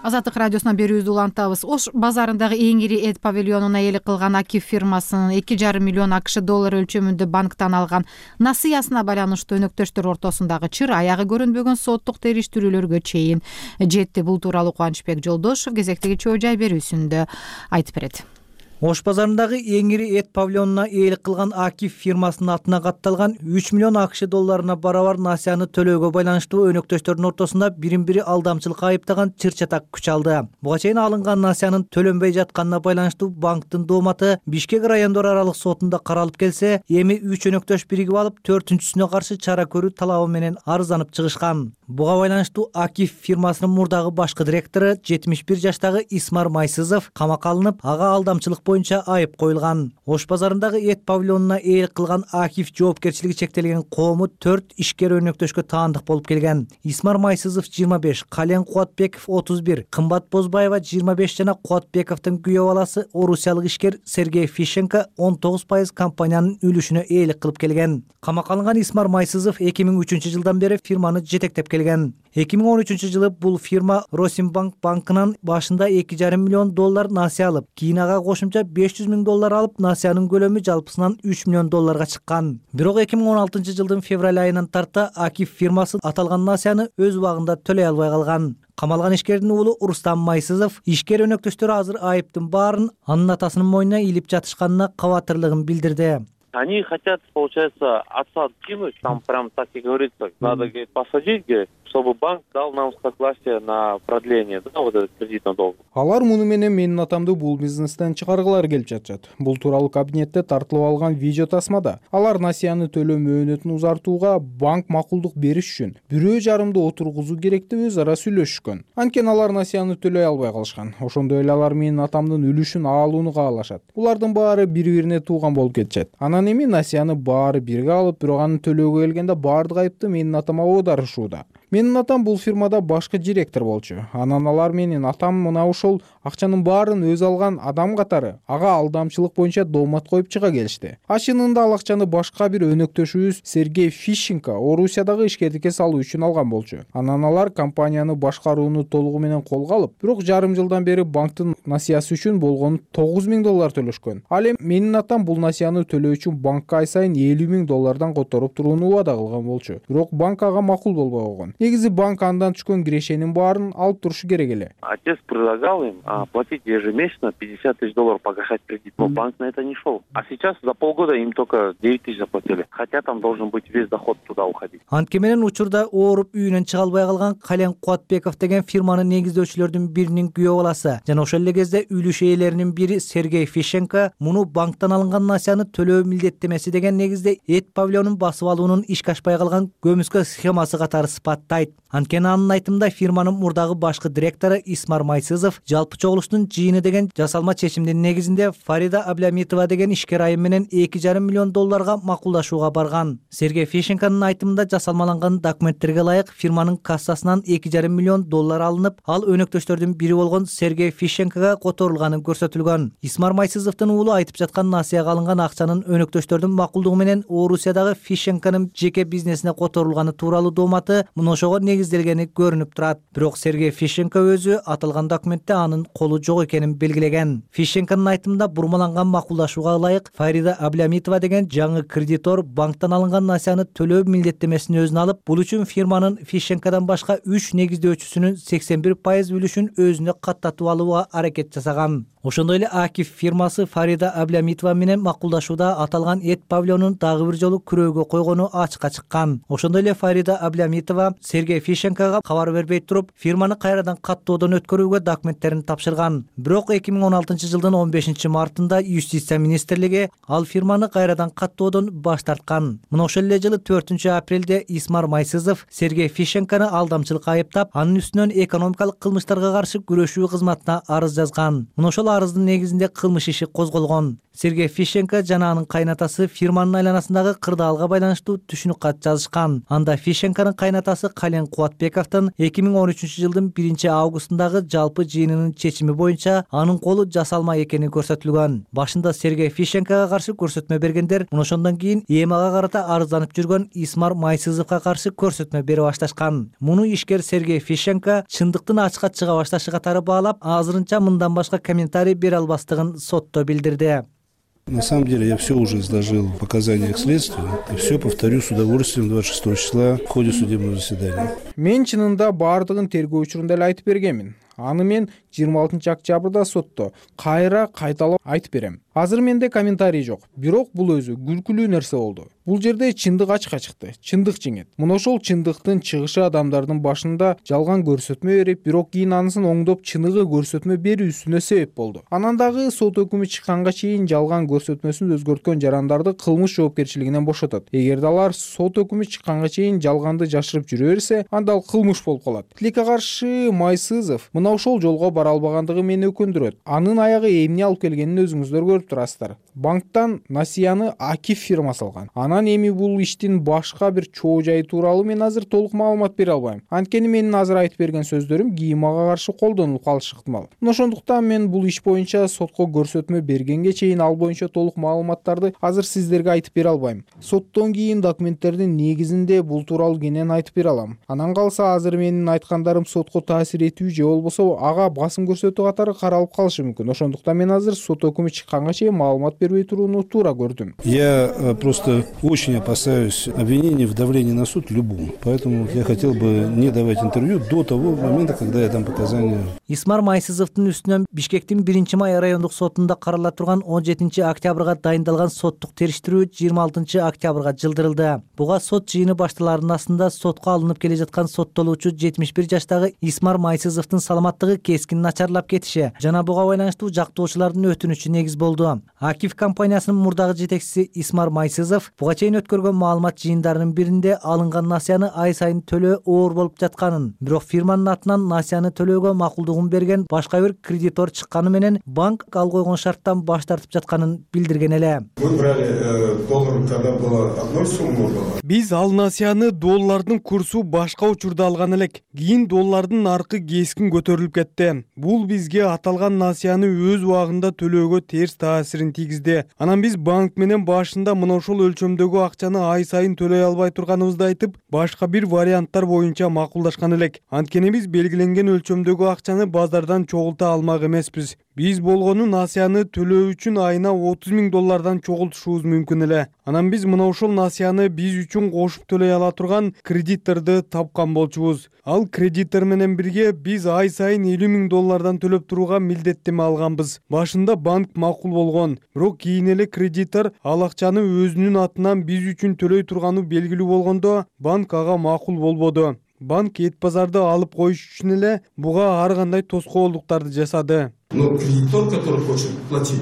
Азаттык радиосунан берүүбүздү улантабыз. Ош базарындагы эң ири эт павильонуна ээлик кылган Акиф фирмасынын эки жарым миллион АКШ доллары өлчөмүндө банктан алган насыясына байланыштуу өнөктөштөр ортосундагы чыр аягы көрүнбөгөн соттук териштирүүлөргө чейин жетти. Бул тууралуу Кубанычбек Жолдошов кезектеги чоо жай берүүсүндө айтып берет. Ош базарындагы эң ири эт павильонуна ээлик кылган Акиф фирмасынын атына катталган үч миллион АКШ долларына барабар насыяны төлөөгө байланыштуу өнөктөштөрдүн ортосунда бирин бири алдамчылыкка айыптаган чыр-чатак күч алды. Буга чейин алынган насыянын төлөнбөй жатканына байланыштуу банктын дооматы Бишкек райондор аралык сотунда каралып келсе, эми үч өнөктөш биригип алып, төртүнчүсүнө каршы чара көрүү талабы менен арызданып чыгышкан. Буга байланыштуу Акиф фирмасынын мурдагы башкы директору жетимиш бир жаштагы Исмар Майсызов камакка алынып, ага алдамчылык боюнча айып коюлган. Ош базарындагы эт павильонуна ээлик кылган Акиф жоопкерчилиги чектелген коому төрт ишкер өнөктөшкө таандык болуп келген. Исмар Майсызов жыйырма беш, Кален Кубатбеков отуз бир, Кымбат Бозбаева жыйырма беш жана Кубатбековдун күйөө баласы орусиялык ишкер Сергей Фищенко он тогуз пайыз компаниянын үлүшүнө ээлик кылып келген. Камакка алынган Исмар Майсызов эки миң үчүнчү жылдан бери фирманы жетектеп келген. эки миң он үчүнчү жылы бул фирма Росимбанк банкынан башында эки жарым миллион доллар насыя алып, кийин ага кошумча беш жүз миң доллар алып, насыянын көлөмү жалпысынан үч миллион долларга чыккан. Бирок эки миң он алтынчы жылдын февраль айынан тарта Акиф фирмасы аталган насыяны өз убагында төлөй албай калган. Камалган ишкердин уулу Рустам Майсызов ишкер өнөктөштөрү азыр айыптын баарын анын атасынын мойнуна илип жатышканына кабатырлыгын билдирди. Они хотят, получается, отца кинуть, там прям так и говорится, надо, говорит, посадить, говорит, чтобы банк дал нам согласие на продление, да, вот этот кредитный долг. Алар муну менен менин атамды бул бизнестен чыгаргылары келип жатышат. Бул тууралуу кабинетте тартылып алган видео тасмада алар насыяны төлөө мөөнөтүн узартууга банк макулдук бериш үчүн бирөө жарымды отургузуу керек деп өз ара сүйлөшүшкөн. Анткени алар насыяны төлөй албай калышкан. Ошондой эле алар менин атамдын үлүшүн алууну каалашат. Булардын баары бири-бирине тууган болуп кетишет. Анан эми насыяны баары бирге алып, бирок аны төлөөгө келгенде баардык айыпты менин атама оодарышууда. Менин атам бул фирмада башкы директор болчу. Анан алар менин атам мына ушул акчанын баарын өз алган адам катары ага алдамчылык боюнча доомат коюп чыга келишти. Ашынында ал акчаны башка бир өнөктөшүбүз Сергей Фищенко Орусиядагы ишкердикке салуу үчүн алган болчу. Анан алар компанияны башкарууну толугу менен колго алып, бирок жарым жылдан бери банктын насыясы үчүн болгону тогуз миң доллар төлөшкөн. Ал эми менин атам бул насыяны төлөө үчүн банкка ай сайын элүү миң доллардан которуп турууну убада кылган болчу. Бирок банк ага макул болбой койгон. Негизи банк андан түшкөн кирешенин баарын алып турушу керек эле. Отец предлагал им а, платить ежемесячно пятьдесят тысяч долларов погашать кредит, но банк на это не шел. А сейчас за полгода им только девять тысяч заплатили, хотя там должен быть весь доход туда уходить. Антке менен учурда ооруп үйүнөн чыга албай калган Кален Кубатбеков деген фирманын негиздөөчүлөрдүн биринин күйөө баласы жана ошол эле кезде үлүш ээлеринин бири Сергей Фищенко муну банктан алынган насыяны төлөө милдеттемеси деген негизде эт павильонун басып алуунун ишке ашпай калган көмүскө схемасы катары сыпаттады. каттайт. Анткени анын айтымында фирманын мурдагы башкы директору Исмар Майсызов жалпы чогулуштун жыйыны деген жасалма чечимдин негизинде Фарида Аблямитова деген ишкер айым менен эки жарым миллион долларга макулдашууга барган. Сергей Фищенконун айтымында жасалмаланган документтерге ылайык фирманын кассасынан эки жарым миллион доллар алынып, ал өнөктөштөрдүн бири болгон Сергей Фищенкого которулганы көрсөтүлгөн. Исмар Майсызовдун уулу айтып жаткан насыяга алынган акчанын өнөктөштөрдүн макулдугу менен Орусиядагы Фищенконун жеке бизнесине которулганы тууралуу дооматы мыношого негизделгени көрүнүп турат. Бирок Сергей Фищенко өзү аталган документте анын колу жок экенин белгилеген. Фищенконун айтымында бурмаланган макулдашууга ылайык Фарида Аблямитова деген жаңы кредитор банктан алынган насыяны төлөө милдеттемесин өзүнө алып, бул үчүн фирманын Фищенкодон башка үч негиздөөчүсүнүн сексен бир пайыз үлүшүн өзүнө каттатып алууга аракет жасаган. Ошондой эле Акиф фирмасы Фарида Аблямитова менен макулдашууда аталган эт павильонун дагы бир жолу күрөөгө койгону ачыкка чыккан. Ошондой эле Фарида Аблямитова Сергей Фищенкого кабар бербей туруп, фирманы кайрадан каттоодон өткөрүүгө документтерин тапшырган. Бирок эки миң он алтынчы жылдын он бешинчи мартында Юстиция министрлиги ал фирманы кайрадан каттоодон баш тарткан. Мына ошол эле жылы төртүнчү апрелде Исмар Майсызов Сергей Фищенкону алдамчылыкка айыптап, анын үстүнөн экономикалык кылмыштарга каршы күрөшүү кызматына арыз жазган. Мына ошол арыздын негизинде кылмыш иши козголгон. Сергей Фищенко жана анын кайнатасы фирманын айланасындагы кырдаалга байланыштуу түшүнүк кат жазышкан. Анда Фищенконун кайнатасы Кален Кубатбековдун эки миң он үчүнчү жылдын биринчи августундагы жалпы жыйынынын чечими боюнча анын колу жасалма экени көрсөтүлгөн. Башында Сергей Фищенкого каршы көрсөтмө бергендер мына ошондон кийин ЭМАга карата арызданып жүргөн Исмар Майсызовго каршы көрсөтмө бере башташкан. Муну ишкер Сергей Фищенко чындыктын ачыкка чыга башташы катары баалап, азырынча мындан башка комментарий бере албастыгын сотто билдирди. На самом деле я все уже изложил в показаниях следствия и все повторю с удовольствием двадцать шестого числа в ходе судебного заседания. Мен чынында баардыгын тергөө учурунда эле айтып бергенмин. Аны мен жыйырма алтынчы октябрда сотто кайра кайталап айтып берем. Азыр менде комментарий жок. Бирок бул өзү күлкүлүү нерсе болду. Бул жерде чындык ачыкка чыкты. Чындык жеңет. Мына ошол чындыктын чыгышы адамдардын башында жалган көрсөтмө берип, бирок кийин анысын оңдоп чыныгы көрсөтмө берүүсүнө себеп болду. Анан дагы сот өкүмү чыкканга чейин жалган көрсөтмөсүн өзгөрткөн жарандарды кылмыш жоопкерчилигинен бошотот. Эгерде алар сот өкүмү чыкканга чейин жалганды жашырып жүрө берсе, анда ал кылмыш болуп калат. Тилекке каршы Майсызов мына ошол жолго бара албагандыгы мени өкүндүрөт. Анын аягы эмне алып келгенин өзүңүздөр көрүп турасыздар. Банктан насыяны Акиф фирмасы алган. Анан эми бул иштин башка бир чоо жайы тууралуу мен азыр толук маалымат бере албайм. Анткени менин азыр айтып берген сөздөрүм ГИИМага каршы колдонулуп калышы ыктымал. Мына ошондуктан мен бул иш боюнча сотко көрсөтмө бергенге чейин ал боюнча толук маалыматтарды азыр сиздерге айтып бере албайм. Соттон кийин документтердин негизинде бул тууралуу кенен айтып бере алам. Анан калса азыр менин айткандарым сотко таасир этүү же болбосо ага басым көрсөтүү катары каралып калышы мүмкүн. Ошондуктан мен азыр сот өкүмү чыкканга чейин маалымат бербей турууну туура көрдүм. Я просто очень опасаюсь обвинений в давлении на суд любому. Поэтому я хотел бы не давать интервью до того момента, когда я дам показания. Исмар Майсызовдун үстүнөн Бишкектин биринчи май райондук сотунда карала турган он жетинчи октябрга дайындалган соттук териштирүү жыйырма алтынчы октябрга жылдырылды. Буга сот жыйыны башталарынын астында сотко алынып келе жаткан соттолуучу жетимиш бир жаштагы Исмар Майсызовдун саламаттыгы кескин начарлап кетиши жана буга байланыштуу жактоочулардын өтүнүчү негиз болду. Акиф компаниясынын мурдагы жетекчиси Исмар Майсызов буга чейин өткөргөн маалымат жыйындарынын биринде алынган насыяны ай сайын төлөө оор болуп жатканын, бирок фирманын атынан насыяны төлөөгө макулдугун берген башка бир кредитор чыкканы менен банк ал койгон шарттан баш тартып жатканын билдирген эле. Вы брали доллар, когда была одной суммы была? Биз ал насыяны доллардын курсу башка учурда алган элек. Кийин доллардын наркы кескин көтөрүлүп кетти. Бул бизге аталган насыяны өз убагында төлөөгө терс таасирин тийгизди. Анан биз банк менен башында мына ошол өлчөмдөгү акчаны ай сайын төлөй албай турганыбызды айтып, башка бир варианттар боюнча макулдашкан элек. Анткени биз белгиленген өлчөмдөгү акчаны базардан чогулта алмак эмеспиз. Биз болгону насыяны төлөө үчүн айына отуз миң доллардан чогултушубуз мүмкүн эле. Анан биз мына ошол насыяны биз үчүн кошуп төлөй ала турган кредиторду тапкан болчубуз. Ал кредитор менен бирге биз ай сайын элүү миң доллардан төлөп турууга милдеттеме алганбыз. Башында банк макул болгон, бирок кийин эле кредитор ал акчаны өзүнүн атынан биз үчүн төлөй турганы белгилүү болгондо банк ага макул болбоду. Банк эт базарды алып коюш үчүн эле буга ар кандай тоскоолдуктарды жасады. Но кредитор, который хочет платить,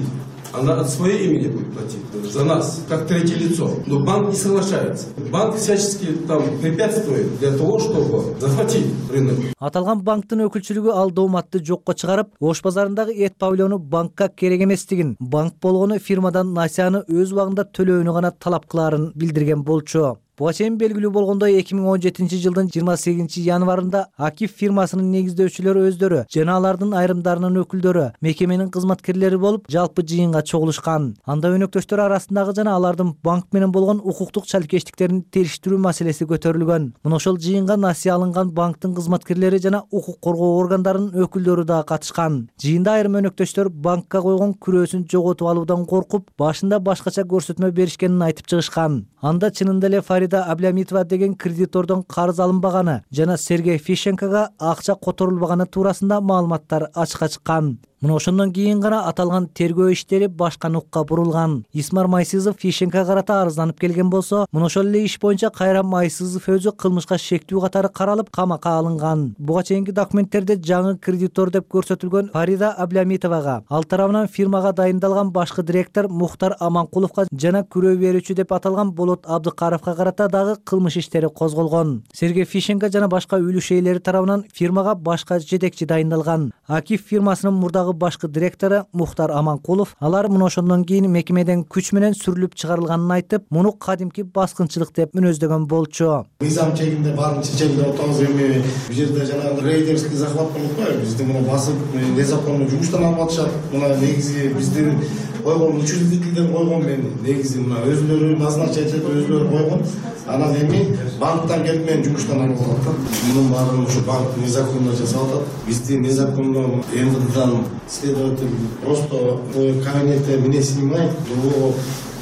она от своего имени будет платить за нас, как третье лицо. Но банк не соглашается. Банк всячески там препятствует для того, чтобы захватить рынок. Аталган банктын өкүлчүлүгү ал дооматты жокко чыгарып, Ош базарындагы эт павильону банкка керек эместигин, банк болгону фирмадан насыяны өз убагында төлөөнү гана талап кылаарын билдирген болчу. Буга чейин белгилүү болгондой эки миң он жетинчи жылдын жыйырма сегизинчи январында Акиф фирмасынын негиздөөчүлөрү өздөрү жана алардын айрымдарынын өкүлдөрү мекеменин кызматкерлери болуп жалпы жыйынга чогулушкан. Анда өнөктөштөр арасындагы жана алардын банк менен болгон укуктук чалкештиктерин териштирүү маселеси көтөрүлгөн. Мына ошол жыйынга насыя алынган банктын кызматкерлери жана укук коргоо органдарынын өкүлдөрү да катышкан. Жыйында айрым өнөктөштөр банкка койгон күрөөсүн жоготуп алуудан коркуп, башында башкача көрсөтмө беришкенин айтып чыгышкан. Анда чынында эле Фарида Аблямитова деген кредитордон карыз алынбаганы жана Сергей Фищенкога акча которулбаганы туурасында маалыматтар ачыкка чыккан. Мына ошондон кийин гана аталган тергөө иштери башка нукка бурулган. Исмар Майсызов Фищенкага карата арызданып келген болсо, мына ошол эле иш боюнча кайра Майсызов өзү кылмышка шектүү катары каралып, камакка алынган. Буга чейинки документтерде жаңы кредитор деп көрсөтүлгөн Фарида Аблямитовага, ал тарабынан фирмага дайындалган башкы директор Мухтар Аманкуловго жана күрөө берүүчү деп аталган Болот Абдыкаровго карата дагы кылмыш иштери козголгон. Сергей Фищенко жана башка үлүш ээлери тарабынан фирмага башка жетекчи дайындалган. Акиф фирмасынын мурдагы башкы директору Мухтар Аманкулов, алар мына ошондон кийин мекемеден күч менен сүрүлүп чыгарылганын айтып, муну кадимки баскынчылык деп мүнөздөгөн болчу. Мыйзам чегинде баарын чечемде отабыз, эми бул жерде жанагы рейдерский захват болуп атпайбы? Бизди муну басып, незаконно жумуштан алып атышат. Мына негизи биздин койгон учредителдер койгон, мен негизи мына өзүлөрү назначать этип өзүлөрү койгон. Анан эми банктан келип мен жумуштан алып атат да. Мунун баарын ушу банк незаконно жасап атат. Бизди незаконно МВДдан следователь просто кабинетте меня снимает, его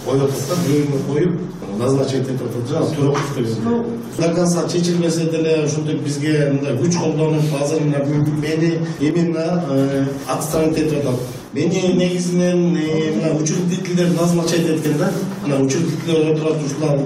коюп атат, бирөөнү коюп назначать этип атат, жана Туроков деген. До конца чечилбесе деле ушинтип бизге мындай күч колдонуп, азыр мени именно отстранить этип атат. Мени негизинен мына учредителдер назначать эткен да. Мына учредителдер отурат, ушулар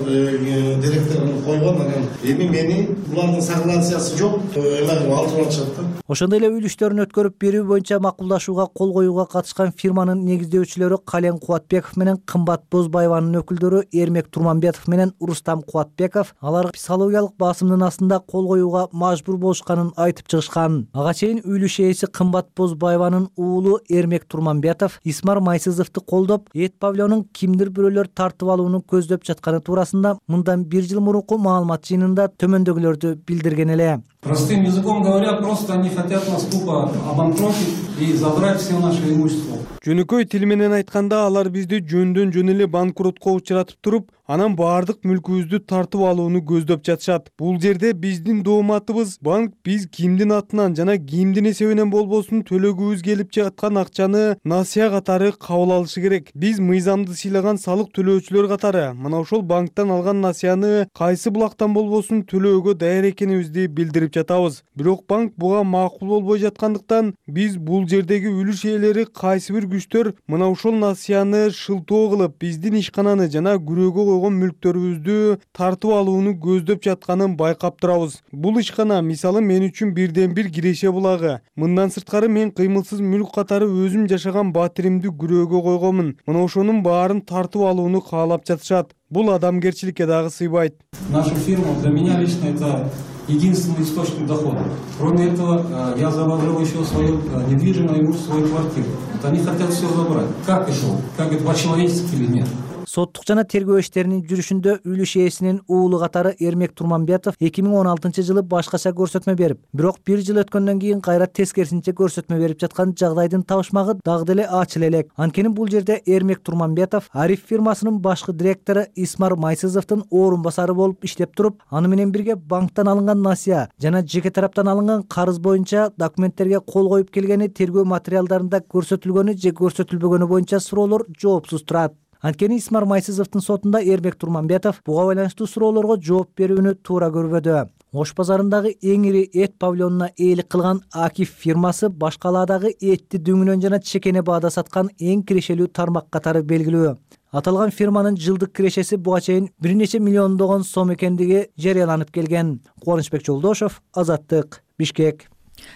директорун койгон, анан эми мени булардын согласиясы жок, эме алтырып атышат да. Ошондой эле үлүштөрүн өткөрүп берүү боюнча макулдашууга кол коюуга катышкан фирманын негиздөөчүлөрү Кален Кубатбеков менен Кымбат Бозбаеванын өкүлдөрү Эрмек Турманбетов менен Рустам Кубатбеков алар психологиялык басымдын астында кол коюуга мажбур болушканын айтып чыгышкан. Ага чейин үлүш ээси Кымбат Бозбаеванын уулу Эрмек Турманбетов Исмар Майсызовду колдоп, эт павильонун кимдир бирөөлөр тартып алууну көздөп жатканы туурасында мындан бир жыл мурунку маалымат жыйынында төмөндөгүлөрдү билдирген эле. Простым языком говоря, просто они хотят нас тупо обанкротить и забрать все наше имущество. Жөнөкөй тил менен айтканда алар бизди жөндөн жөн эле банкротко учуратып туруп, анан баардык мүлкүбүздү тартып алууну көздөп жатышат. Бул жерде биздин дооматыбыз банк биз кимдин атынан жана кимдин эсебинен болбосун төлөгүбүз келип жаткан акчаны насыя катары кабыл алышы керек. Биз мыйзамды сыйлаган салык төлөөчүлөр катары мына ошол банктан алган насыяны кайсы булактан болбосун төлөөгө даяр экенибизди билдирип жатабыз. Бирок банк буга макул болбой жаткандыктан биз бул жердеги үлүш ээлери кайсы бир күчтөр мына ушул насыяны шылтоо кылып биздин ишкананы жана күрөөгө койгон мүлктөрүбүздү тартып алууну көздөп жатканын байкап турабыз. Бул ишкана мисалы мен үчүн бирден бир киреше булагы. Мындан сырткары мен кыймылсыз мүлк катары өзүм жашаган батиримди күрөөгө койгонмун. Мына ошонун баарын тартып алууну каалап жатышат. Бул адамгерчиликке дагы сыйбайт. Наша фирма для меня лично это единственный источник дохода. Кроме этого, я заложил еще свое недвижимое имущество, свою квартиру. Вот они хотят все забрать. Как это? Как это по-человечески или нет? Соттук жана тергөө иштеринин жүрүшүндө үлүш ээсинин уулу катары Эрмек Турманбетов эки миң он алтынчы жылы башкача көрсөтмө берип, бирок бир жыл өткөндөн кийин кайра тескерисинче көрсөтмө берип жаткан жагдайдын табышмагы дагы деле ачыла элек. Анткени бул жерде Эрмек Турманбетов Ариф фирмасынын башкы директору Исмар Майсызовдун орун басары болуп иштеп туруп, аны менен бирге банктан алынган насыя жана жеке тараптан алынган карыз боюнча документтерге кол коюп келгени тергөө материалдарында көрсөтүлгөнү же көрсөтүлбөгөнү боюнча суроолор жоопсуз турат. Анткени Исмар Майсызовдун сотунда Эрмек Турманбетов буга байланыштуу суроолорго жооп берүүнү туура көрбөдү. Ош базарындагы эң ири эт павильонуна ээлик кылган Акиф фирмасы башкалаадагы этти дүңүнөн жана чекене баада саткан эң кирешелүү тармак катары белгилүү. Аталган фирманын жылдык кирешеси буга чейин бир нече миллиондогон сом экендиги жарыяланып келген. Кубанычбек Жолдошов, Азаттык, Бишкек.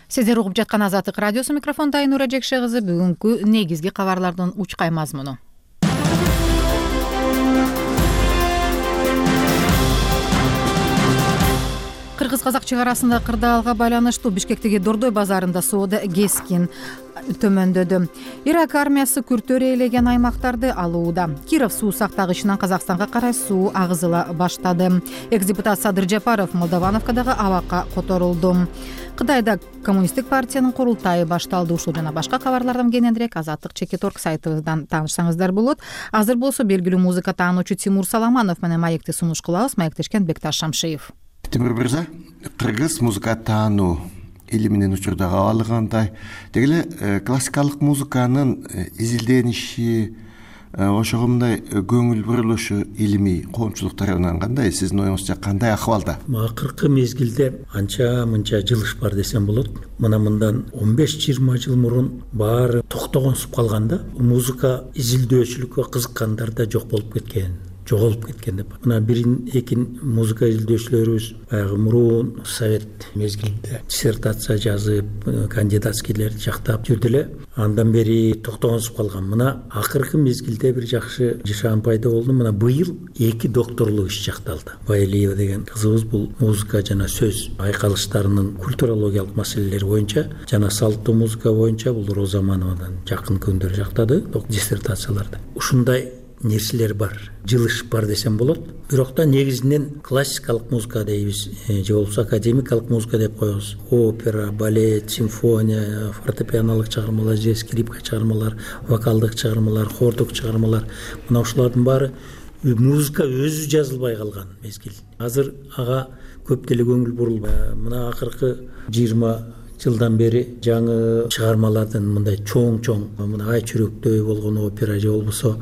Сиздер угуп жаткан Азаттык радиосу, микрофондо Айнура Жекше кызы. Бүгүнкү негизги кабарлардын учкай мазмуну. Кыргыз-казак чек арасында кырдаалга байланыштуу Бишкектеги Дордой базарында соода кескин төмөндөдү. Ирак армиясы күртөр ээлеген аймактарды алууда. Киров суу сактагычынан Казакстанга карай суу агызыла баштады. Экс-депутат Садыр Жапаров Молдовановкадагы абакка которулду. Кытайда коммунисттик партиянын курултайы башталды. Ушул жана башка кабарлардан кененирээк Азаттык чекит орг сайтыбыздан таанышсаңыздар болот. Азыр болсо белгилүү музыка таануучу Тимур Саламанов менен маекти сунуш кылабыз. Маектешкен Бекташ Шамшиев. Тимур мырза, кыргыз музыка таануу илиминин учурдагы алгандай дегеле классикалык музыканын изилдениши, ошогундай көңүл бурулушу илимий коомчулук тарабынан кандай, сиздин оюңузча кандай акыбалда? Акыркы мезгилде анча мынча жылыш бар десем болот. Мына мындан он беш жыйырма жыл мурун баары токтогонсуп калганда, музыка изилдөөчүлүккө кызыккандар да жок болуп кеткен. жоголуп кеткен деп. Мына бирин экин музыка изилдөөчүлөрүбүз баягы мурун совет мезгилинде диссертация жазып, кандидатскийлерди жактап жүрдү эле. Андан бери токтогонсуп калган. Мына акыркы мезгилде бир жакшы жашаан пайда болду. Мына быйыл эки докторлук иш жакталды. Байлиева деген кызыбыз бул музыка жана сөз айкалыштарынын культурологиялык маселелери боюнча жана салттуу музыка боюнча бул Розамановадан жакын күндөр жактады диссертацияларды. Ушундай нерселер бар, жылыш бар десем болот. Бирок да негизинен классикалык музыка дейбиз, же болбосо академикалык музыка деп коебуз. Опера, балет, симфония, фортепианолук чыгармалар, же скрипка чыгармалар, вокалдык чыгармалар, хордук чыгармалар. Мына ушулардын баары музыка өзү жазылбай калган мезгил. Азыр ага көп деле көңүл бурулбайт. Мына акыркы жыйырма жылдан бери жаңы чыгармалардын мындай чоң-чоң, мына Ай чүрөктөй болгон опера же болбосо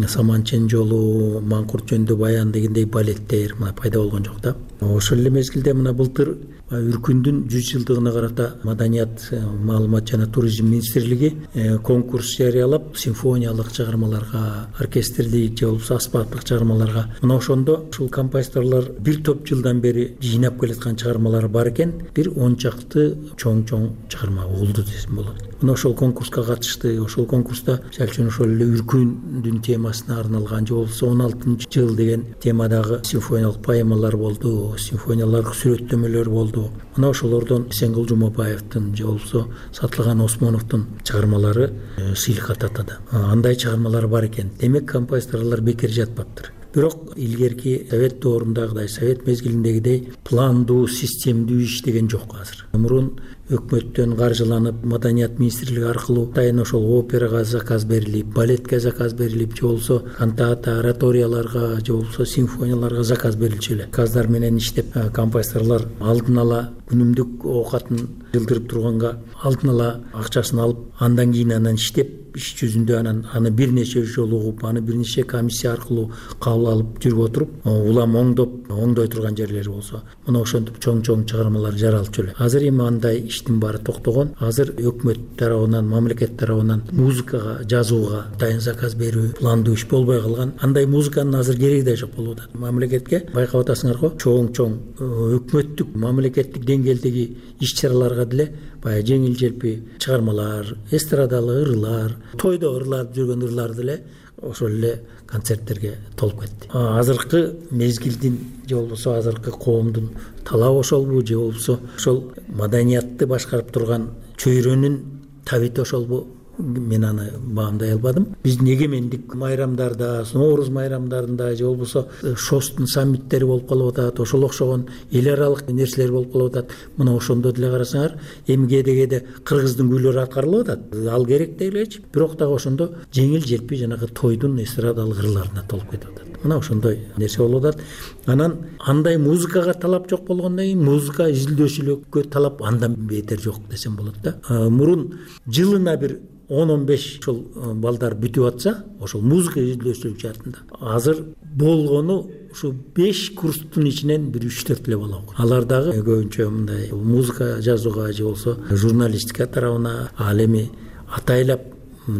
Саманчен жолу, Маңкурт жөнүндө баян дегендей балеттер мына пайда болгон жок да. Ошол эле мезгилде мына былтыр Үркүндүн жүз жылдыгына карата Маданият, маалымат жана туризм министрлиги конкурс жарыялап, симфониялык чыгармаларга, оркестрлик же болбосо аспаптык чыгармаларга. Мына ошондо ушул композиторлор бир топ жылдан бери жыйнап келаткан чыгармалары бар экен, бир он чакты чоң-чоң чыгарма болду десем болот. Мына ошол конкурска катышты. Ошол конкурста жалчын ошол эле Үркүндүн темасына арналган же болбосо он алтынчы жыл деген темадагы симфониялык поэмалар болду, симфониялык сүрөттөмөлөр болду. Мына ошолордон Сенгул Жумабаевдин же болбосо Сатылган Осмоновдун чыгармалары сыйлыкка татады. Андай чыгармалар бар экен. Демек композиторлор бекер жатпаптыр. Бирок илгерки совет доорундагыдай, совет мезгилиндегидей пландуу, системдүү иш деген жок азыр. Мурун өкмөттөн каржыланып, Маданият министрлиги аркылуу дайын ошол операга заказ берилип, балетке заказ берилип, же болбосо кантата, ораторияларга, же болбосо симфонияларга заказ берилчү эле. Заказдар менен иштеп, композиторлор алдын ала күнүмдүк оокатын жылдырып турганга алдын ала акчасын алып, андан кийин анан иштеп, иш жүзүндө анан аны бир нече жолу угуп, аны бир нече комиссия аркылуу кабыл алып жүрүп отуруп, улам оңдоп, оңдой турган жерлери болсо, мына ошентип чоң-чоң чыгармалар жаралчу эле. Азыр эми андай иштин баары токтогон. Азыр өкмөт тарабынан, мамлекет тарабынан музыкага жазууга дайын заказ берүү, пландуу иш болбой калган. Андай музыканын азыр кереги да жок болуп атат. Мамлекетке байкап атасыңарбы, чоң-чоң өкмөттүк, мамлекеттик деңгээлдеги иш-чараларга деле баягы жеңил желпи чыгармалар, эстрадалык ырлар, тойдо ырлап жүргөн ырлар деле ошол эле концерттерге толуп кетти. Азыркы мезгилдин же болбосо азыркы коомдун талабы ошолбу, же болбосо ошол маданиятты башкарып турган чөйрөнүн табити ошолбу? Мен аны баамдай албадым. Биздин эгемендик майрамдарда, Нооруз майрамдарында же болбосо шостун саммиттери болуп калып атат, ошол окшогон эл аралык нерселер болуп калып атат. Мына ошондо деле карасаңар, эми кээде-кээде кыргыздын күйлөрү аткарылып атат. Ал керек делечи. Бирок дагы ошондо жеңил желпи жанагы тойдун эстрадалык ырларына толуп кетип атат. Мына ошондой нерсе болуп атат. Анан андай музыкага талап жок болгондон кийин музыка изилдөөчүлүккө талап андан бетер жок десем болот да. Мурун жылына бир он он беш ошол балдар бүтүп атса, ошол музыка изилдөөчүлүк жаатында. Азыр болгону ушу беш курстун ичинен бир үч төрт эле бала окуйт. Алар дагы көбүнчө мындай музыка жазууга же болсо журналистика тарабына, ал эми атайлап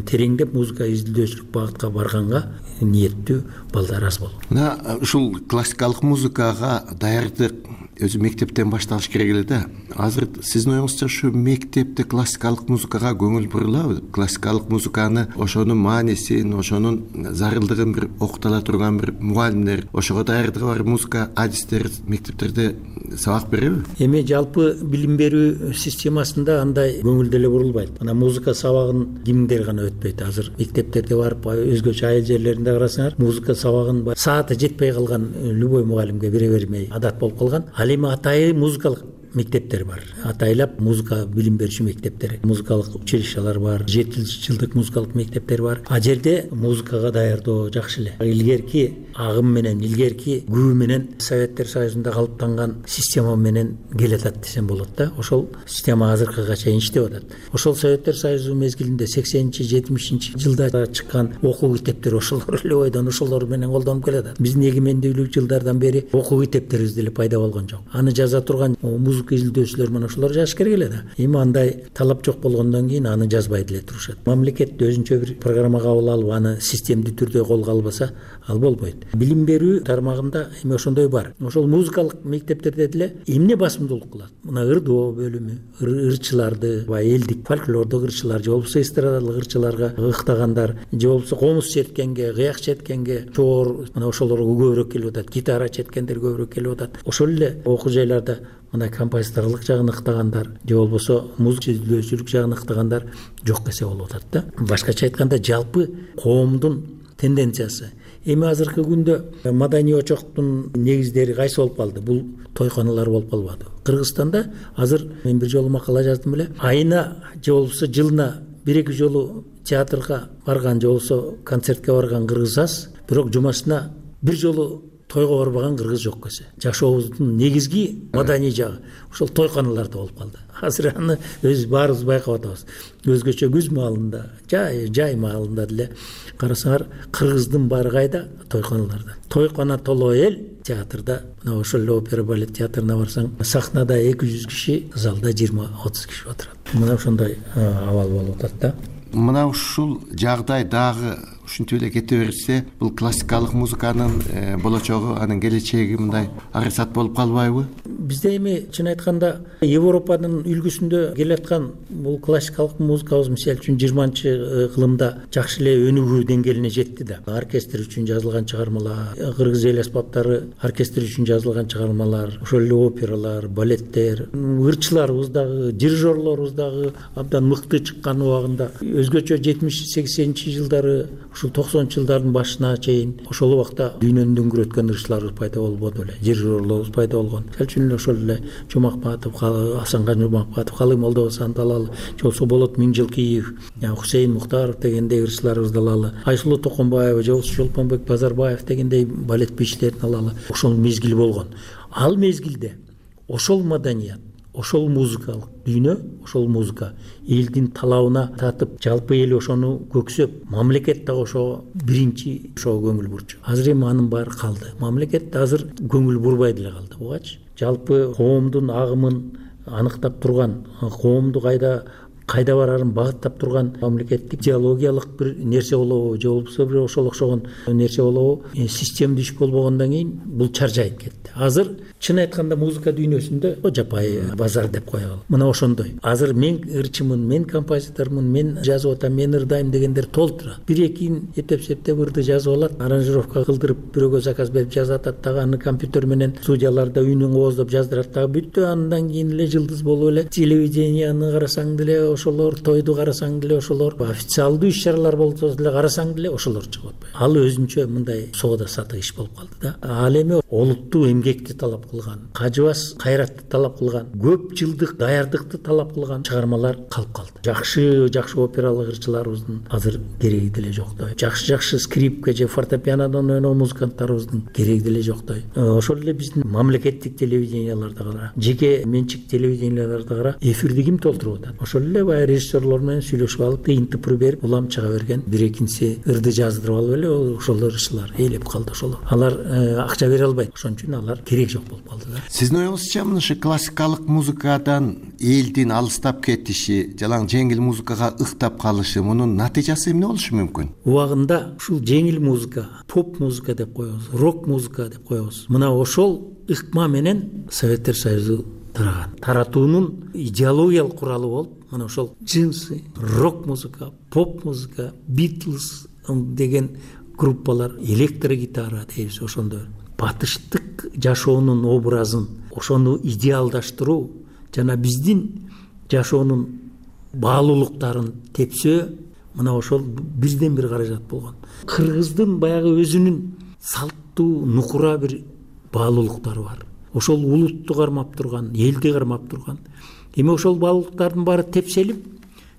тереңдеп музыка изилдөөчүлүк багытка барганга ниеттүү балдар аз болот. Мына ушул классикалык музыкага даярдык өзү мектептен башталыш керек эле да. Азыр сиздин оюңузча ушу мектепте классикалык музыкага көңүл бурулабы? Классикалык музыканы, ошонун маанисин, ошонун зарылдыгын бир окутала турган бир мугалимдер, ошого даярдыгы бар музыка адистер мектептерде сабак береби? Эми жалпы билим берүү системасында андай көңүл деле бурулбайт. Мына музыка сабагын кимдер гана өтпөйт. Азыр мектептерде барып өзгөчө айыл жерлеринде карасаңар, музыка сабагын сааты жетпей калган любой мугалимге бере бермей адат болуп калган. Ал эми атайын музыкалык мектептер бар. Атайлап музыка билим берүүчү мектептер, музыкалык училищалар бар, жети жылдык музыкалык мектептер бар. А жерде музыкага даярдоо жакшы эле. Илгерки агым менен, илгерки күбө менен Советтер Союзунда калыптанган система менен келатат десем болот да. Ошол система азыркыга чейин иштеп атат. Ошол Советтер Союзу мезгилинде сексенинчи жетимишинчи жылда чыккан окуу китептер ошолор эле ойдон ошолор менен колдонуп келатат. Биздин эгемендүүлүк жылдардан бери окуу китептерибиз деле пайда болгон жок. Аны жаза турган музыка изилдөөчүлөр менен ошолор жазыш керек эле да. Эми андай талап жок болгондон кийин аны жазбай деле турушат. Мамлекет өзүнчө бир программа кабыл алып, аны системдүү түрдө колго албаса, ал болбойт. Билим берүү тармагында эми ошондой бар. Ошол музыкалык мектептерде деле эмне басымдуулук кылат? Мына ырдоо бөлүмү, ырчыларды, элдик фольклордук ырчылар, же болбосо эстрадалык ырчыларга ыктагандар, же болбосо комуз четкенге, кыяк четкенге, чоор, мына ошолорго көбүрөөк келип атат. Гитара четкендер көбүрөөк келип атат. Ошол эле окуу жайларда мына композиторлук жагын ыктагандар, же болбосо музыка изилдөөчүлүк жагын ыктагандар жок эсе болуп атат да. Башкача айтканда, жалпы коомдун тенденциясы. Эми азыркы күндө маданий очоктун негиздери кайсы болуп калды? Бул тойканалар болуп калбады. Кыргызстанда азыр мен бир жолу макала жаздым эле. Айына же болбосо жылына бир эки жолу театрга барган, же болбосо концертке барган кыргыз аз, бирок жумасына бир жолу тойго барбаган кыргыз жок эсе. Жашообуздун негизги маданий жагы ошол тойканаларда болуп калды. Азыр аны өз баарыбыз байкап атабыз. Өзгөчө күз маалында, жай жай маалында деле карасаңар, кыргыздын баары кайда? Тойканаларда. Тойкана толо эл театрда, мына ошол эле опера балет театрына барсаң, сахнада эки жүз киши, залда жыйырма отуз киши отурат. Мына ошондой абал болуп атат да. Мына ушул жагдай дагы ушинтип эле кете берсе, бул классикалык музыканын болочогу, анын келечеги мындай арысат болуп калбайбы? Бизде эми чын айтканда Европанын үлгүсүндө келаткан бул классикалык музыкабыз мисалы үчүн жыйырманчы кылымда жакшы эле өнүгүү деңгээлине жетти да. Оркестр үчүн жазылган чыгармалар, кыргыз эл аспаптары оркестр үчүн жазылган чыгармалар, ошол эле опералар, балеттер, ырчыларыбыз дагы, дирижерлорубуз дагы абдан мыкты чыккан убагында. Өзгөчө жетимиш сексенинчи жылдары, ушул токсонунчу жылдардын башына чейин ошол убакта дүйнөнү дөңгөрөткөн ырчыларыбыз пайда болбоду эле, дирижерлорубуз пайда болгон. Мисалы үчүн ошол эле Жомакбатов, Асанкан Жомакбатов, Калый Молдобасан далалы, же болбосо Болот Миңжылкиев, Хусейин Мухтаров дегендей ырчыларыбызды алалы, Айсулуу Токонбаева, же болбосо Чолпонбек Базарбаев дегендей балет бийчилерин алалы. Ошол мезгил болгон. Ал мезгилде ошол маданият, ошол музыкалык дүйнө, ошол музыка элдин талабына татып, жалпы эл ошону көксөп, мамлекет да ошого биринчи ошого көңүл бурчу. Азыр эми анын баары калды. Мамлекет азыр көңүл бурбай деле калды. Бугачы жалпы коомдун агымын аныктап турган, коомду кайда кайда барарын багыттап турган мамлекеттик идеологиялык бир нерсе болобу, же болбосо бир ошол окшогон нерсе болобу, системдүү иш болбогондон кийин бул чаржайып кетти. Азыр чын айтканда музыка дүйнөсүндө жапайы базар деп коелу. Мына ошондой. Азыр мен ырчымын, мен композитормун, мен жазып атам, мен ырдайм дегендер толтура. Бир экин эптеп-септеп ырды жазып алат, аранжировка кылдырып, бирөөгө заказ берип жазып атат, дагы аны компьютер менен студияларда үнүн кооздоп жаздырат, дагы бүттү. Андан кийин эле жылдыз болуп эле телевиденияны карасаң деле ошолор, тойду карасаң деле ошолор, официалдуу иш-чаралар болсо деле карасаң деле ошолор чыгып атпайбы. Ал өзүнчө мындай соода сатык иш болуп калды да. Ал эми олуттуу эмгекти талап кылган, кажыбас кайратты талап кылган, көп жылдык даярдыкты талап кылган чыгармалар калып калды. Жакшы жакшы опералык ырчыларыбыздын азыр кереги деле жоктой. Жакшы жакшы скрипка же фортепианодон ойногон музыканттарыбыздын кереги деле жоктой. Ошол эле биздин мамлекеттик телевиденияларда кара, жеке менчик телевиденияларда кара, эфирди ким толтуруп атат? Ошол эле эле баягы режиссерлор менен сүйлөшүп алып тыйынтыпыр берип улам чыга берген, бир экинчи ырды жаздырып алып эле ошол ырчылар ээлеп калды. Ошолор алар акча бере албайт, ошон үчүн алар керек жок болуп калды да. Сиздин оюңузча мына ушу классикалык музыкадан элдин алыстап кетиши, жалаң жеңил музыкага ыктап калышы, мунун натыйжасы эмне болушу мүмкүн? Убагында ушул жеңил музыка, поп музыка деп коебуз, рок музыка деп коебуз. Мына ошол ыкма менен Советтер Союзу тараган. Таратуунун идеологиялык куралы болуп, мына ошол джинсы, рок музыка, поп музыка, Битлз деген группалар, электрогитара дейбиз ошондо. Батыштык жашоонун образын, ошону идеалдаштыруу жана биздин жашоонун баалуулуктарын тепсөө, мына ошол бирден бир каражат болгон. Кыргыздын баягы өзүнүн салттуу, нукура бир баалуулуктары бар. Ошол улутту кармап турган, элди кармап турган. Эми ошол баалуулуктардын баары тепселип,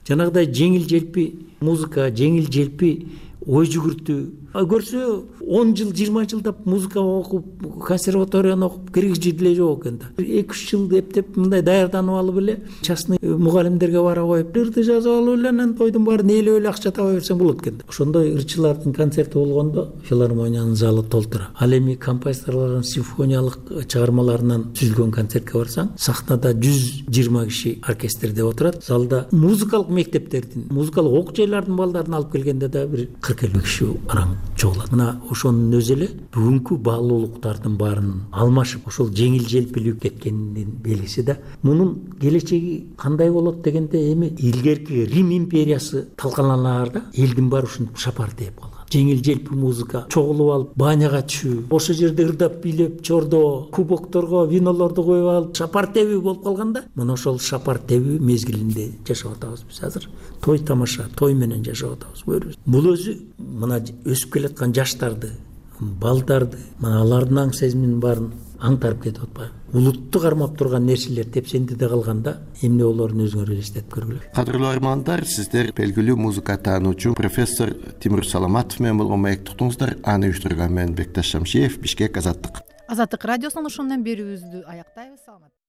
жанагыдай жеңил желпи музыка, жеңил желпи ой жүгүртүү. Көрсө он жыл, жыйырма жылдап музыка окуп, консерваторияны окуп киргизип деле жок экен да. эки үч жыл эптеп мындай даярданып алып эле частный мугалимдерге бара коюп, ырды жазып алып эле анан тойдун баарын ээлеп эле акча таба берсең болот экен да. Ошондой ырчылардын концерти болгондо филармониянын залы толтура. Ал эми композиторлордун симфониялык чыгармаларынан түзүлгөн концертке барсаң, сахнада жүз жыйырма киши оркестрде отурат. Залда музыкалык мектептердин, музыкалык окуу жайлардын балдарын алып келгенде да бир кырк элүү киши араң чогулат. Мына ошонун өзү эле бүгүнкү баалуулуктардын баарын алмашып, ошол жеңил желпилип кеткенинин белгиси да. Мунун келечеги кандай болот дегенде, эми илгерки Рим империясы талкаланалар да, элдин баары ушинтип шапар тээп калган. Жеңил желпи музыка чогулуп алып, баняга түшүү, ошол жерде ырдап бийлеп, чордо, кубокторго винолорду коюп алып, шапар тебүү болуп калганда, мына ошол шапар тебүү мезгилинде жашап атабыз биз азыр. Той тамаша, той менен жашап атабыз көрүбүз. Бул өзү мына өсүп келаткан жаштарды, балдарды, мына алардын аң сезиминин баарын аңтарып кетип атпайбы? Улутту кармап турган нерселер тепсендиде калганда эмне болоорун өзүңөр элестетип көргүлө. Кадырлуу армандар, сиздер белгилүү музыка таануучу профессор Тимур Саламатов менен болгон маек туттуңуздар. Аны уюштурган мен Бекташ Шамшиев, Бишкек, Азаттык. Азаттык радиосунун ушундан берүүбүздү аяктайбыз. Саламат.